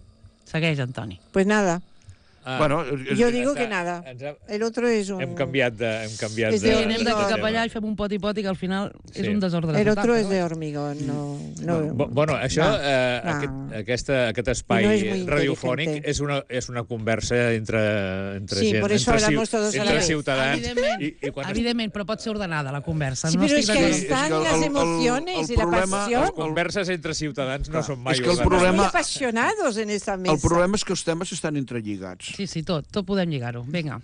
A: segueix, Antoni.
B: Pues nada.
D: Ah,
C: Bueno,
B: Yo digo
D: Està-
B: que nada.
D: ens ha-
B: El otro es un...
D: Hem canviat de... Hem canviat
B: És
D: de,
B: de-
A: Sí, anem d'aquí
B: no,
A: cap
B: no.
A: allà i fem un poti-poti que al final és
D: Sí.
A: un desordre.
B: El
A: total,
B: otro
A: però
B: es de
A: bé.
B: hormigón, no... no
D: Bo- Bueno, això,
B: No,
D: eh,
B: no.
D: aquest, aquesta, aquest espai
B: I no és muy
D: radiofònic
B: inteligente.
D: és una, és una conversa entre, entre
B: Sí,
D: gent,
B: por eso
D: entre,
B: hablamos todos a la
D: entre
B: vez.
D: ciutadans.
A: Evidentment,
D: I, i quan es-
A: evidentment, però pot ser ordenada la conversa.
B: Sí,
A: no
B: pero es
A: estic
B: que
A: d'acord.
B: están
C: És que el-
B: las
C: el-
B: emociones
C: el
B: y la
C: problema-
B: pasión.
D: les converses entre ciutadans no són mai
C: és que el
D: ordenades.
C: problema-
B: Muy apasionados en esta mesa.
C: El problema és que els temes estan entrelligats.
A: Sí, sí, tot, tot podem lligar-ho. Vinga.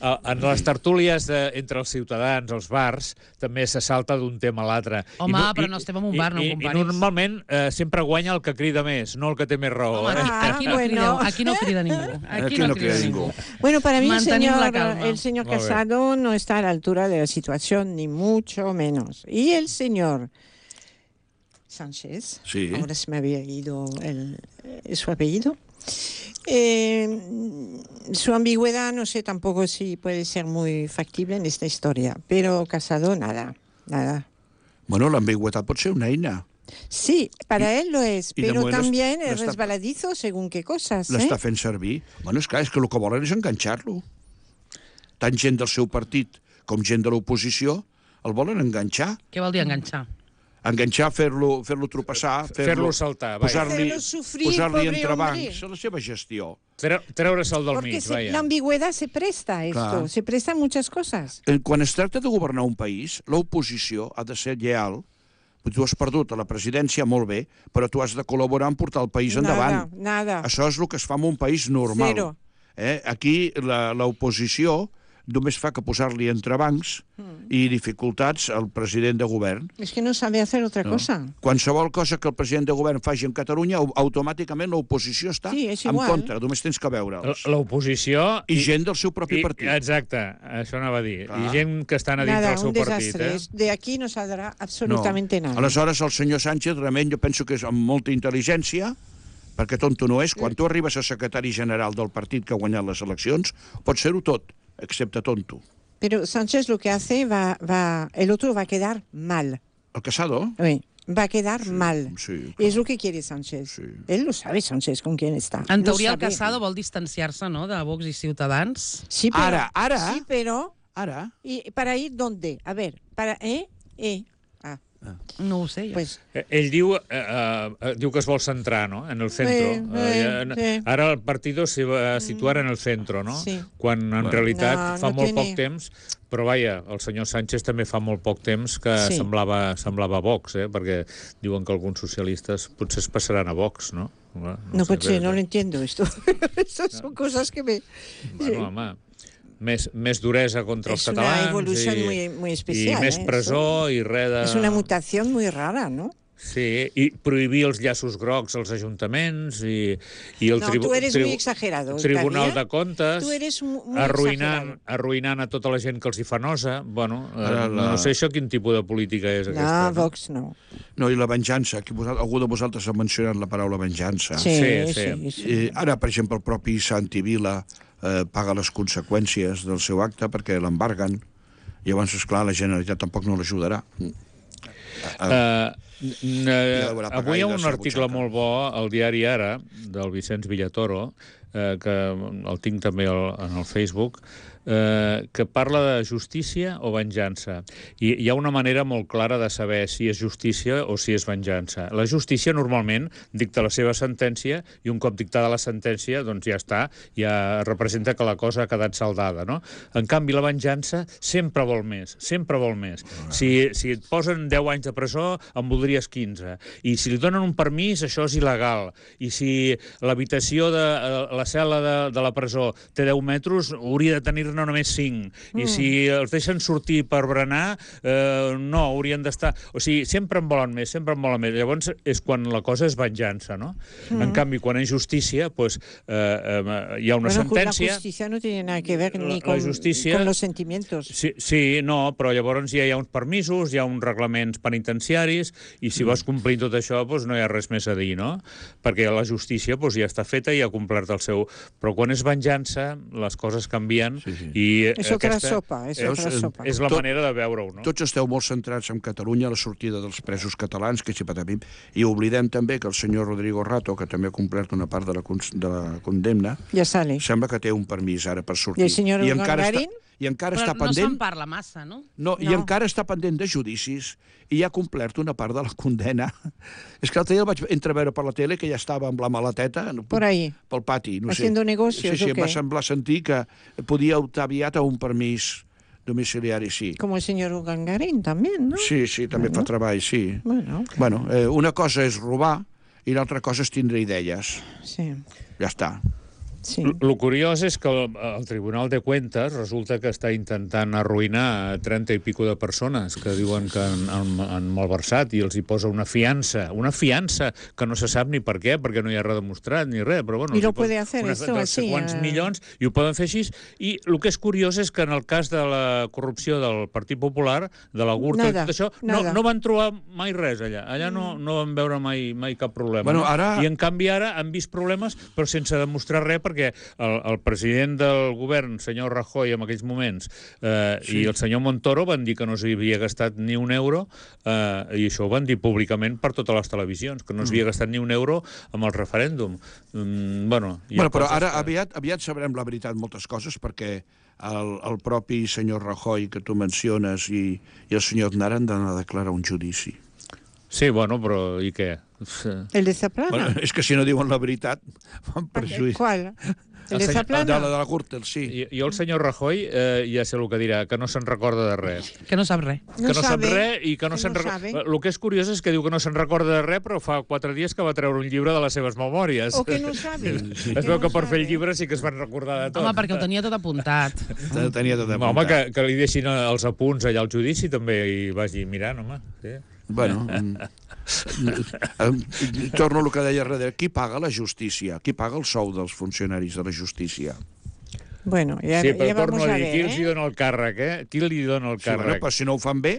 D: Uh, en les tertúlies de, entre els ciutadans, els bars, també se salta d'un tema a l'altre.
A: Home, no, però no estem en un bar, no ho
D: i,
A: comparis.
D: I normalment eh, sempre guanya el que crida més, no el que té més raó.
A: Home, aquí,
B: Ah,
A: aquí, no
B: bueno.
A: crideu, aquí no crida ningú. Aquí,
C: Aquí
A: no,
C: no
A: crida,
C: crida
A: ningú.
C: ningú.
B: Bueno, para mí el
A: Mantenim la
B: señor,
A: calma.
B: el señor
D: Muy bien.
B: Casado no está a la altura de la situación, ni mucho menos. Y el señor Sánchez,
C: Sí.
B: ahora se me había ido el, eh, su apellido, eh, su ambigüedad no sé tampoco si puede ser muy factible en esta historia, pero Casado nada, nada.
C: Bueno, l'ambigüetat pot ser una eina.
B: Sí, para él lo es,
C: y de
B: pero
C: moment
B: también
C: l'està-
B: es resbaladizo según qué cosas. ¿eh?
C: L'està fent servir. Bueno, és clar, és que el que volen és enganxar-lo. Tant gent del seu partit com gent de l'oposició el volen enganxar.
A: Què vol dir enganxar?
C: Enganxar, fer-lo fer-lo tropeçar,
D: Fer-lo saltar, vaja.
C: posar-li
B: Hacerlo sufrir,
C: posar
B: pobre
C: entre
B: hombre.
C: bancs a la seva gestió.
D: Tre Treure-se'l del
B: Porque
D: mig,
B: se-
D: vaja.
B: la ambigüedad se presta a esto,
C: Claro.
B: se presta a muchas cosas.
C: Eh, Quan es tracta de governar un país, l'oposició ha de ser lleal. Tu has perdut a la presidència, molt bé, però tu has de col·laborar en portar el país endavant.
B: Nada, nada.
C: Això és el que es fa en un país normal.
B: Zero.
C: Eh? Aquí la- l'oposició només fa que posar-li entrebancs
B: Hmm.
C: i dificultats al president de govern.
B: Es que no sabe hacer otra
C: No?
B: cosa.
C: Qualsevol cosa que el president de govern faci en Catalunya, au- automàticament l'oposició està
B: Sí, és
C: en
B: igual.
C: contra, només tens que veure'ls.
D: L'oposició...
C: I gent del seu propi
D: i,
C: partit.
D: Exacte, això anava a dir.
C: Clar.
D: I gent que estan a dintre
B: Nada,
D: del seu
B: un
D: partit.
B: desastre.
D: Eh?
B: Es- De aquí no saldrá absolutamente nada.
C: Aleshores, el senyor Sánchez, realment, jo penso que és amb molta intel·ligència, perquè tonto no és. Quan tu arribes a secretari general del partit que ha guanyat les eleccions, pots ser-ho tot, excepte tonto.
B: Pero Sánchez lo que hace va, va, el otro va a quedar mal.
C: El Casado?
B: Oui, va a quedar mal.
C: sí,
B: Es lo que quiere Sánchez.
C: Sí.
B: Él lo sabe, Sánchez, con quién está.
A: En
B: Lo
A: teoria, el
B: sabe.
A: Casado vol distanciar-se, no?, de Vox i Ciutadans.
B: Sí, pero,
C: Ara, ara.
B: Sí, pero...
C: Ara,
B: ¿Y para ir dónde? A ver, para... ¿Eh? ¿Eh? Ah,
A: No ho sé, jo.
B: pues...
D: Eh, Ell diu, eh, eh, diu que es vol centrar, no?, en el centro.
B: Sí,
D: Eh,
B: sí, sí.
D: Ara el partido se va a situar en el centro, no?
B: Sí.
D: Quan en
C: Bueno.
D: realitat
B: No,
D: fa
B: no
D: molt
B: tiene-
D: poc temps, però vaja, el senyor Sánchez també fa molt poc temps que
B: Sí.
D: semblava, semblava Vox, eh? Perquè diuen que alguns socialistes potser es passaran a Vox, no? No,
B: No,
D: sé,
B: pues sí,
D: bé,
B: no lo
D: bé.
B: entiendo esto. Estas son cosas que me...
D: Bueno, home, més, més duresa contra
B: És
D: els
B: una
D: catalans
B: evolució
D: i,
B: muy- muy especial,
D: i més
B: eh,
D: presó i res de...
B: Es una mutación muy rara, ¿no?
D: Sí, i prohibir els llaços grocs als ajuntaments i, i el
B: No,
D: tribu
B: tu eres
D: tribu
B: muy exagerado,
D: Tribunal
B: Javier.
D: de Comptes,
B: Tu eres mu- muy
D: arruïnant,
B: exagerado.
D: arruïnant a tota la gent que els hi fa nosa. Bueno, eh,
C: Ara la-
D: no sé això quin tipus de política és
B: No,
D: aquesta. no?
B: Vox no.
C: no, i la venjança. Aquí vos- algú de vosaltres ha mencionat la paraula venjança.
B: Sí,
D: Sí,
B: sí,
D: sí.
B: sí.
C: Eh, ara, per exemple, el propi Santi Vila eh, paga les conseqüències del seu acte perquè l'embarguen. Llavors, esclar, la Generalitat tampoc no l'ajudarà.
D: Uh,
C: Ja haurà pagat
D: avui hi ha
C: ell de
D: un
C: sa
D: article
C: butxaca.
D: molt bo al diari Ara, del Vicenç Villatoro, eh, que el tinc també al, en el Facebook, eh, que parla de justícia o venjança. I hi ha una manera molt clara de saber si és justícia o si és venjança. La justícia normalment dicta la seva sentència i un cop dictada la sentència doncs ja està, ja representa que la cosa ha quedat saldada, no? En canvi, la venjança sempre vol més, sempre vol més. Si, si et posen deu anys de presó, en voldries quinze. I si li donen un permís, això és il·legal. I si l'habitació de la cel·la de, de la presó té deu metres, hauria de tenir-ne només cinc. Mm. I si els deixen sortir per berenar, eh, no, haurien d'estar... O sigui, sempre en volen més, sempre en volen més. Llavors és quan la cosa és venjança, no? Mm. En canvi, quan és justícia, pues, eh, eh, hi ha una
B: Bueno,
D: sentència...
B: la justicia no tiene nada que ver
D: La-
B: ni
D: la
B: con,
D: justícia-
B: con los sentimientos.
D: Sí, sí, no, però llavors ja hi ha uns permisos, hi ha uns reglaments penitenciaris, i si vas complint tot això, doncs no hi ha res més a dir, no? Perquè la justícia doncs, ja està feta i ha complert el seu... Però quan és venjança, les coses canvien,
C: Sí, sí.
D: i
B: Es otra
D: aquesta
B: sopa, es
C: Veus,
B: otra
C: eh,
B: sopa.
D: és la
C: Tot-
D: manera de veure-ho, no?
C: Tots esteu molt centrats en Catalunya, la sortida dels presos catalans, que si patapim, i oblidem també que el senyor Rodrigo Rato, que també ha complert una part de la, cons- de la condemna,
B: Ya sale.
C: sembla que té un permís ara per sortir.
B: I el senyor
C: encara està,
B: Urdangarín?
C: i encara
A: Però
C: està
A: no
C: pendent...
A: se'n parla massa, no?
C: No, i
B: No.
C: encara està pendent de judicis i ja ha complert una part de la condena. És que l'altre dia el vaig entreveure per la tele que ja estava amb la maleteta
B: Por ahí.
C: pel pati. No
B: Haciendo
C: sé.
B: negocios,
C: Sí, sí,
B: ¿o
C: em va
B: qué?
C: semblar sentir que podia optar aviat a un permís domiciliari, sí.
B: Como el señor Ugangarín también, ¿no?
C: Sí, sí, també fa treball, sí.
B: Bueno,
C: Bueno, eh, una cosa és robar i l'altra cosa és tindre idees.
B: sí.
C: Ja està.
B: Sí.
D: El curiós és que el, el Tribunal de Cuentas resulta que està intentant arruïnar trenta i pico de persones que diuen que han, han, han malversat i els hi posa una fiança, una fiança que no se sap ni per què, perquè no hi ha res demostrat ni res, però bueno...
B: I lo puede hacer esto así.
D: Quants
B: eh...
D: milions, i ho poden fer així. I el que és curiós és que en el cas de la corrupció del Partit Popular, de la Gürtel i tot això, no, no van trobar mai res allà. Allà no, no van veure mai, mai cap problema.
C: Bueno,
D: no?
C: ara...
D: I en canvi ara han vist problemes, però sense demostrar res, perquè el, el president del govern, senyor Rajoy, en aquells moments, eh, sí. i el senyor Montoro van dir que no s'havia gastat ni un euro, eh, i això ho van dir públicament per totes les televisions, que no s'havia gastat ni un euro amb el referèndum. Mm, bueno,
C: bueno, però ara que... aviat, aviat sabrem la veritat moltes coses, perquè el, el propi senyor Rajoy, que tu menciones, i, i el senyor Aznar han d'anar a declarar un judici.
D: Sí, bueno, però i què?
B: El de Zaplana?
C: Bueno, és que si no diuen la veritat, fan perjuís.
B: Qual? El, el de Zaplana?
C: De la de la Gürtel, sí.
D: I, i el senyor Rajoy, eh, ja sé el que dirà, que no se'n recorda de res.
A: Que no sap res.
D: Que no, no sap res i que no se'n
B: no
D: recorda... El que és curiós és que diu que no se'n recorda de res, però fa quatre dies que va treure un llibre de les seves memòries.
B: O que no sabe.
D: Sí. Es veu que per fer el llibre sí que es van recordar de tot.
A: Home, perquè ho tenia tot apuntat.
C: Tenia tot apuntat.
D: Home, que, que li deixin els apunts allà al judici també i vagi mirant, home. Sí.
C: Bueno, torno al que deia darrere. Qui paga la justícia? Qui paga el sou dels funcionaris de la justícia?
B: Bueno, ja,
D: sí, però
B: ja
D: torno
B: vamos
D: a
B: a
D: dir,
B: ver,
D: qui
B: eh?
D: els hi dona el càrrec, eh? Qui li dona el
C: Sí,
D: càrrec?
C: bueno, però si no ho fan bé,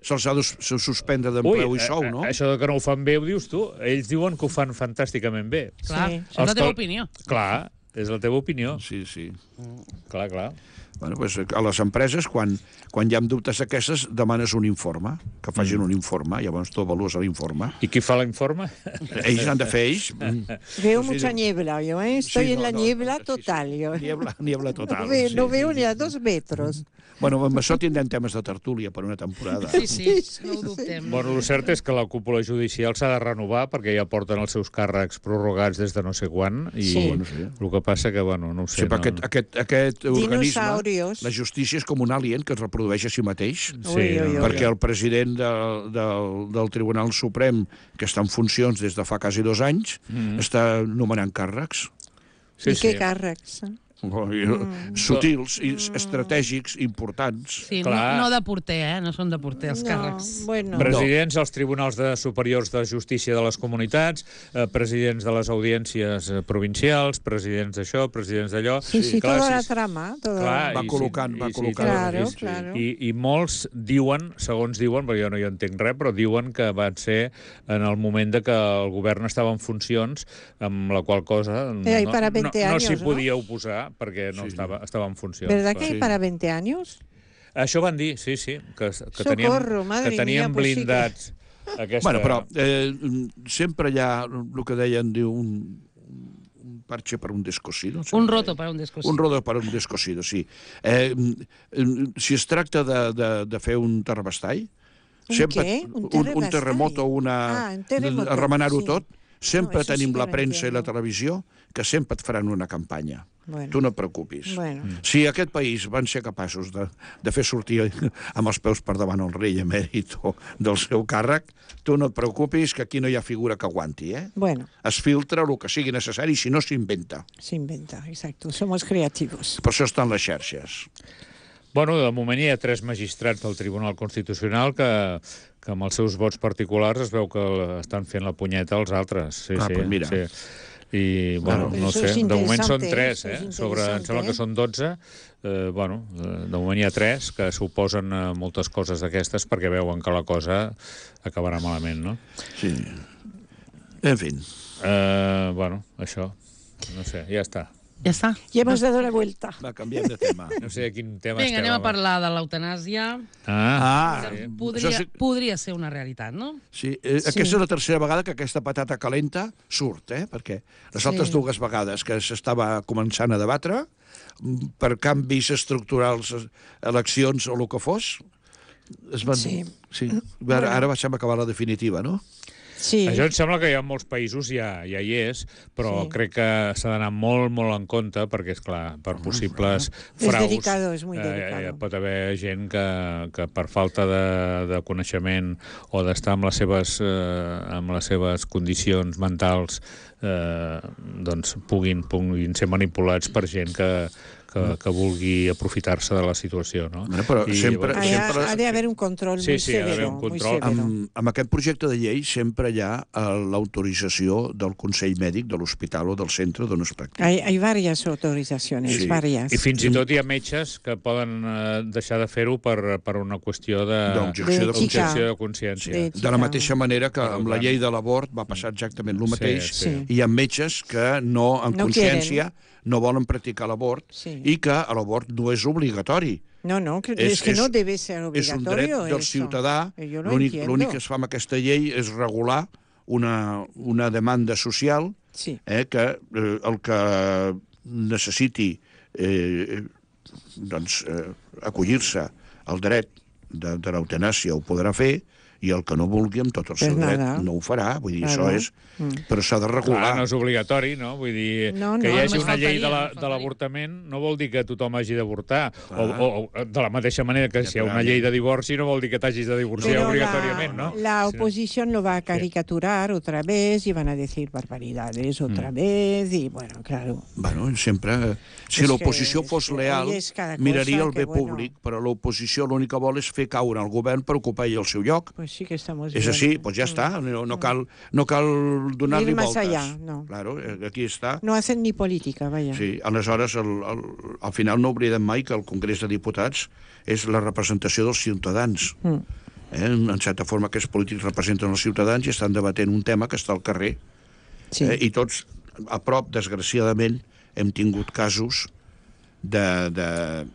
C: se'ls ha de suspendre d'empleu i sou, no?
D: Això de que no ho fan bé ho dius tu. Ells diuen que ho fan fantàsticament bé.
A: Clar,
B: Sí.
A: és la teva opinió.
D: Clar, és la teva opinió.
C: Sí, sí.
D: Clar, clar.
C: Bueno, pues, a les empreses, quan, quan hi ha dubtes d'aquestes, demanes un informe, que facin un informe, llavors tu avalues l'informe.
D: I qui fa l'informe?
C: Ells han de fer ells.
B: Veo mucha niebla, yo, ¿eh? Estoy
C: Sí,
B: en
C: no,
B: la
C: no,
B: niebla
C: sí,
B: total,
C: sí.
B: yo.
C: Niebla, niebla total.
B: No veo,
C: sí,
B: no
C: sí,
B: veo
C: sí.
B: ni a dos metros.
C: Bueno, amb això tindrem temes de tertúlia per una temporada.
A: Sí, sí, no ho dubtem.
D: Bueno, el cert és que la cúpula judicial s'ha de renovar perquè ja porten els seus càrrecs prorrogats des de no sé quan i
B: Sí.
C: Bueno, sí.
D: el que passa que, bueno, no ho sé.
C: Sí, però
D: no...
C: aquest, aquest, aquest organisme,
B: Dinosaurios.
C: la justícia és com un alien que es reprodueix a si mateix,
D: Sí,
B: Ui, ui, ui.
C: perquè el president de, del, del Tribunal Suprem, que està en funcions des de fa quasi dos anys,
D: Mm.
C: està nomenant càrrecs.
D: Sí,
B: I
D: sí.
B: què càrrecs? eh?
C: Mm. Sutils, i estratègics, importants.
A: Sí, no,
D: Clar.
A: no de porter, eh? No són de porter, els càrrecs.
B: No, bueno.
D: Presidents als tribunals de superiors de justícia de les comunitats, eh, presidents de les audiències eh, provincials, presidents d'això, presidents d'allò...
B: Sí, sí,
D: Clar,
B: toda la
D: sí,
B: trama. Toda...
D: Clar,
C: Va
D: i
C: col·locant,
D: sí,
C: va
D: i sí,
C: col·locant.
B: Claro,
D: i,
B: claro.
D: I, I molts diuen, segons diuen, perquè jo no hi entenc res, però diuen que van ser en el moment de que el govern estava en funcions, amb la qual cosa no,
B: Eh, y
D: no,
B: para
D: no,
B: veinte
D: no
B: años,
D: s'hi
B: ¿no?
D: podia oposar perquè no
C: Sí.
D: estava, estava en funcions.
B: ¿Verdad
D: clar.
B: que hay
C: Sí.
B: para veinte años?
D: Això van dir, sí, sí, que, que
B: Socorro,
D: teníem,
B: madre
D: que teníem
B: mía, pues sí que-
D: blindats aquesta...
C: Bueno, però eh, sempre hi ha el que deien, diu, un, un parche per un descosido.
A: Un roto per un descosido.
C: Un roto per un descosido, sí. Eh, si es tracta de, de, de fer un terrabastall,
B: Un
C: sempre,
B: què? Un
C: un, un
B: terrabastall?
C: terremoto, una,
B: Ah, un terremoto,
C: a remenar-ho
B: sí.
C: tot, sempre
B: No, això sí
C: tenim
B: que
C: la
B: no
C: premsa i la
B: entiendo.
C: televisió que sempre et faran una campanya.
B: Bueno.
C: Tu no et preocupis.
B: Bueno.
C: Si aquest país van ser capaços de, de fer sortir amb els peus per davant el rei emèrit del seu càrrec, tu no et preocupis que aquí no hi ha figura que aguanti, eh?
B: Bueno,
C: Es filtra el que sigui necessari, si no s'inventa.
B: se inventa, exacto. Somos creativos.
C: Per això estan les xarxes.
D: Bueno, de moment hi ha tres magistrats del Tribunal Constitucional que, que amb els seus vots particulars es veu que estan fent la punyeta als altres. Sí,
C: Ah,
D: sí,
C: pues mira.
D: sí. I, bueno,
B: Però
D: no
B: això
D: sé,
B: és
D: de moment són
B: interessante,
D: tres,
B: això és
D: eh? Sobre, em sembla
B: interessante,
D: que
B: eh?
D: són dotze. Eh, bueno, eh, de moment hi ha tres que s'oposen a moltes coses d'aquestes perquè veuen que la cosa acabarà malament, no?
C: Sí. En fi.
D: Eh, bueno, això, no sé, ja està.
A: Ja està.
B: Ya hemos dado la vuelta.
C: Va, canviem de tema.
D: No sé a quin tema
A: Vinga,
D: estem.
A: anem a
D: home.
A: parlar de l'eutanàsia.
D: Ah,
C: Ah,
A: Que
C: això
A: podria,
C: sí,
A: podria ser una realitat, no?
C: sí, eh, aquesta és la tercera vegada que aquesta patata calenta surt, eh? Perquè les altres
B: Sí.
C: dues vegades que s'estava començant a debatre mm, per canvis estructurals, eleccions o el que fos, es van...
B: Sí.
C: sí. Ara, ara va semblar acabar la definitiva, no?
B: Sí.
D: Això em sembla que hi ha molts països, ja, ja hi és, però
B: Sí.
D: crec que s'ha d'anar molt, molt en compte, perquè, és clar, per possibles
B: Es
D: fraus...
B: delicado, es muy
D: eh,
B: delicado.
D: eh, pot haver gent que, que per falta de, de coneixement o d'estar amb les seves, eh, amb les seves condicions mentals eh, doncs puguin, puguin ser manipulats per gent que, que, que vulgui aprofitar-se de la situació, no?
C: Bueno, però sempre-
B: Ha,
C: sempre-
B: ha de haber un control
D: Sí,
B: muy
D: sí, ha d'haver
B: severo.
D: un
B: muy
D: control.
B: severo.
C: Amb, amb aquest projecte de llei sempre hi ha eh, l'autorització del Consell Mèdic de l'hospital o del centre d'on es practica.
B: Hay, hay varias autorizaciones,
C: Sí.
B: varias.
D: I fins i tot hi ha metges que poden eh, deixar de fer-ho per, per una qüestió de
C: D'objecció de
B: D'ètica.
D: objecció de consciència.
B: De-
C: De la mateixa manera que amb la
D: tant.
C: llei de l'abort va passar exactament el mateix.
D: Sí,
B: sí.
C: Hi ha metges que no, en
B: No
C: consciència, no volen practicar l'abort
B: Sí.
C: i que l'abort no és obligatori.
B: No, no, que-
C: És-
B: es, que
C: és-
B: no debe ser
C: És un dret
B: obligatorio.
C: del
B: eso.
C: ciutadà.
B: Eh, Yo lo
C: L'únic
B: entiendo.
C: l'únic que es fa amb aquesta llei és regular una, una demanda social
B: Sí.
C: eh, que eh, el que necessiti eh, doncs, eh, acollir-se al dret de, de l'eutanàsia ho podrà fer, i el que no vulgui amb tot el seu
B: Pues
C: dret
B: nada.
C: no ho farà. Vull dir,
B: Claro.
C: això és...
B: Mm.
C: Però s'ha de
D: Clar,
C: regular.
D: no és obligatori, no? Vull dir,
B: No,
D: que
B: no,
D: hi hagi
A: només
D: una llei de la-
A: faltaria,
D: de
A: faltaria.
D: l'avortament no vol dir que tothom hagi d'avortar. O,
C: Clar.
D: o, o de la mateixa manera que si hi ha una llei de divorci no vol dir que t'hagis de divorciar
B: Pero
D: obligatòriament,
B: la,
D: no?
B: la
D: Si no-
B: oposición lo va a caricaturar otra vez y van a decir barbaridades otra vez y bueno, claro.
C: Bueno, sempre... Si
B: És
C: l'oposició
B: que-
C: fos
B: és que
C: leal,
B: ahí és cada cosa
C: miraria el
B: que,
C: bé
B: bueno.
C: públic, però l'oposició l'únic que vol és fer caure el govern per ocupar ell el seu lloc.
B: Pues sí que estamos
C: És
B: bien.
C: així, doncs ja està, no, no cal, no cal donar-li
B: Ir más
C: voltes.
B: allá, no.
C: Claro, eh, aquí està.
B: No hacen ni política, vaya.
C: Sí, aleshores, el, el, al final no oblidem mai que el Congrés de Diputats és la representació dels ciutadans.
B: Mm.
C: Eh? En certa forma, aquests polítics representen els ciutadans i estan debatent un tema que està al carrer.
B: Sí.
C: Eh? I tots, a prop, desgraciadament, hem tingut casos de... de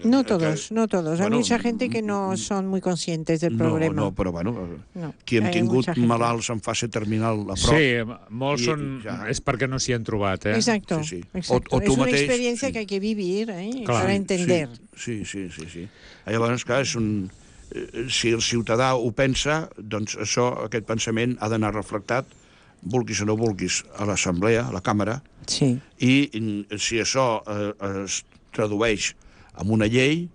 B: No
C: que-
B: todos, no todos. Hay
C: bueno,
B: mucha gente que no son muy conscientes del
C: no,
B: problema.
C: no, però bueno,
B: No,
C: qui hem
B: hay
C: tingut
B: mucha gente.
C: malalts en fase terminal a prop...
D: Sí, molts
C: I-
D: són...
C: ja.
D: És perquè no s'hi han trobat, eh?
B: Exacto,
C: Sí, sí.
B: exacto.
C: O- o
B: es
C: tú
B: una
C: mateix,
B: experiencia
C: sí.
B: que hay que vivir ¿eh?
D: Clar.
B: para entender.
C: Sí, sí, sí, sí. Llavors, clar, és un... eh, si el ciutadà ho pensa, doncs això, aquest pensament ha d'anar reflectat, vulguis o no vulguis, a l'Assemblea, a la Càmera,
B: Sí.
C: i mm, si això eh, es tradueix en una llei,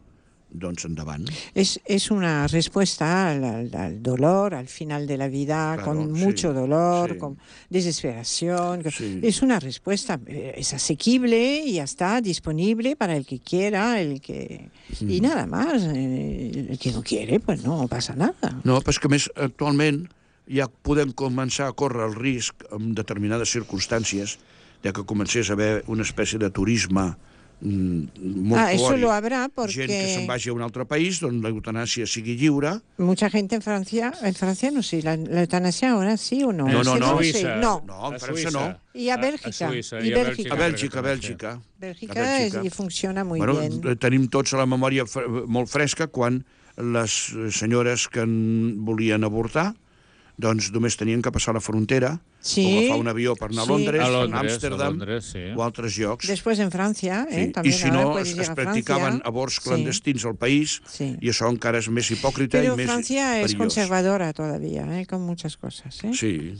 C: doncs endavant.
B: Es, es una respuesta al, al- al dolor, al final de la vida,
C: Claro,
B: con
C: sí,
B: mucho dolor,
C: sí.
B: con desesperación. con-
C: Sí.
B: Es una respuesta, eh, es asequible y ya está, disponible para el que quiera, el que y nada más. eh, El que no quiere, pues no pasa nada.
C: No, però és que a més, actualment ja podem començar a córrer el risc, en determinades circumstàncies, de que comencés a haver una espècie de turisme mm, molt
B: Ah, eso
C: fort.
B: lo habrá porque-
C: Gent que se'n vagi a un altre país on la eutanàsia sigui lliure.
B: Mucha gente en Francia, en Francia no sé, la, la eutanasia ahora sí o no.
C: No,
B: Es
C: no,
B: que
C: no.
B: lo sé.
D: Suïssa.
B: No,
C: No, en
D: A
C: França
D: Suïssa.
C: no.
B: Y a Bélgica,
D: Suïssa,
B: y
D: i a
B: Bélgica.
C: A
D: crec
C: Bèlgica,
D: que
C: a
D: també,
C: Bèlgica.
B: Bélgica,
C: A Bèlgica.
B: es- y funciona muy
C: bueno,
B: bien.
C: eh, Tenim tots a la memòria fre- molt fresca quan les eh, senyores que en volien avortar doncs només tenien que passar la frontera
B: Sí,
C: o agafar un avió per anar a
B: sí.
C: Londres,
D: A
C: per anar a
D: Londres, a
C: Amsterdam
D: Londres, sí.
C: o altres llocs.
B: Después en Francia, ¿eh?
C: Sí.
B: También
C: I si
B: ahora
C: no,
B: puedes
C: es,
B: ir
C: es
B: a
C: practicaven
B: Francia.
C: aborts
B: Sí.
C: clandestins al país,
B: Sí.
C: i això encara és més hipòcrita
B: Pero
C: i més
B: Francia es
C: perillós.
B: conservadora todavía, ¿eh? Con muchas cosas. ¿eh?
C: Sí.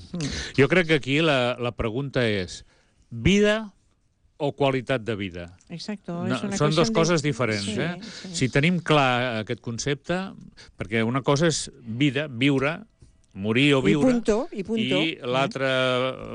D: Jo crec que aquí la, la pregunta és vida o qualitat de vida?
B: Exacto.
D: No,
B: es una
D: són dues
B: cuestión de-
D: coses diferents,
B: Sí,
D: eh?
B: sí.
D: Si tenim clar aquest concepte, perquè una cosa és vida, viure, morir o
B: Y
D: viure,
B: punto, y punto.
D: i l'altre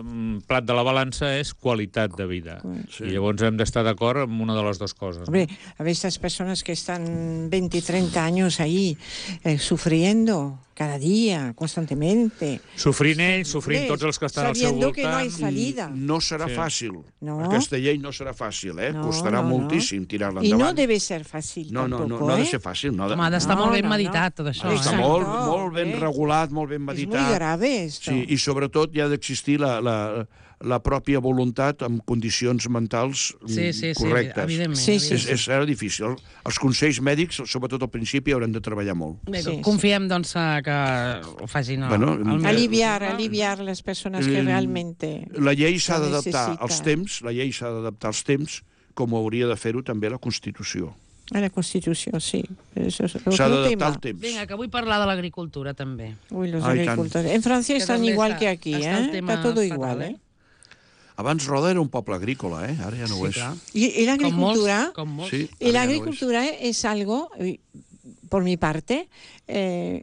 D: mm, plat de la balança és qualitat de vida.
C: Sí.
D: I llavors hem d'estar d'acord amb una de les dues coses.
B: Hombre, a ver, estas persones que están veinte, treinta años ahí eh, sufriendo cada día, constantemente.
D: Sofrint ells, sofrint tots els que estan al seu
B: Sabiendo que no hay
D: voltant.
B: salida.
C: No serà
D: Sí.
C: fàcil.
B: No.
C: Aquesta llei no serà fàcil, eh?
B: No,
C: Costarà
B: no, no.
C: moltíssim tirar-la
B: Y no
C: endavant.
B: debe ser fácil
C: no, no, no,
B: tampoco,
C: no ha de
B: ¿eh?
C: ser fàcil. No ha de...
A: Home, ha d'estar
B: No,
A: molt ben
B: no, no.
A: meditat, tot això.
C: Està
B: Exacto,
A: Eh?
C: molt, molt ben
B: eh?
C: regulat, molt ben
B: Es
C: meditat.
B: muy grave esto.
C: Sí, i sobretot hi ha d'existir la, la, la pròpia voluntat amb condicions mentals mm,
A: Sí, sí, sí,
C: correctes.
A: evidentment.
B: Sí, sí,
C: És, és, serà difícil. Els consells mèdics, sobretot al principi, hauran de treballar molt.
A: Bé,
B: Sí,
A: confiem, doncs, eh, que ho facin
C: Bueno,
A: el, el
B: Aliviar, aliviar las personas que
C: Eh,
B: realmente...
C: La llei s'ha
B: Lo
C: d'adaptar
B: necessita.
C: als temps, la llei s'ha d'adaptar als temps, com hauria de fer-ho també la Constitució.
B: A la Constitució, sí.
C: S'ha d'adaptar al temps.
A: Vinga, que vull parlar de l'agricultura, també.
B: Uy, los
C: Ai,
B: agricultores. En Francia
A: Que
B: están
A: també
B: igual
A: està-
B: que aquí,
A: està el
B: ¿eh?
A: tema
B: Está todo
A: fatal,
B: igual,
A: eh?
B: ¿eh?
C: Abans Roda era un poble agrícola, eh? Ara ja no ho és.
A: clar.
B: Y, y la
A: Com molts,
B: agricultura,
A: com molts.
C: Sí,
B: y la
C: ara ja no ho és.
B: agricultura es algo, eh, por mi parte, eh,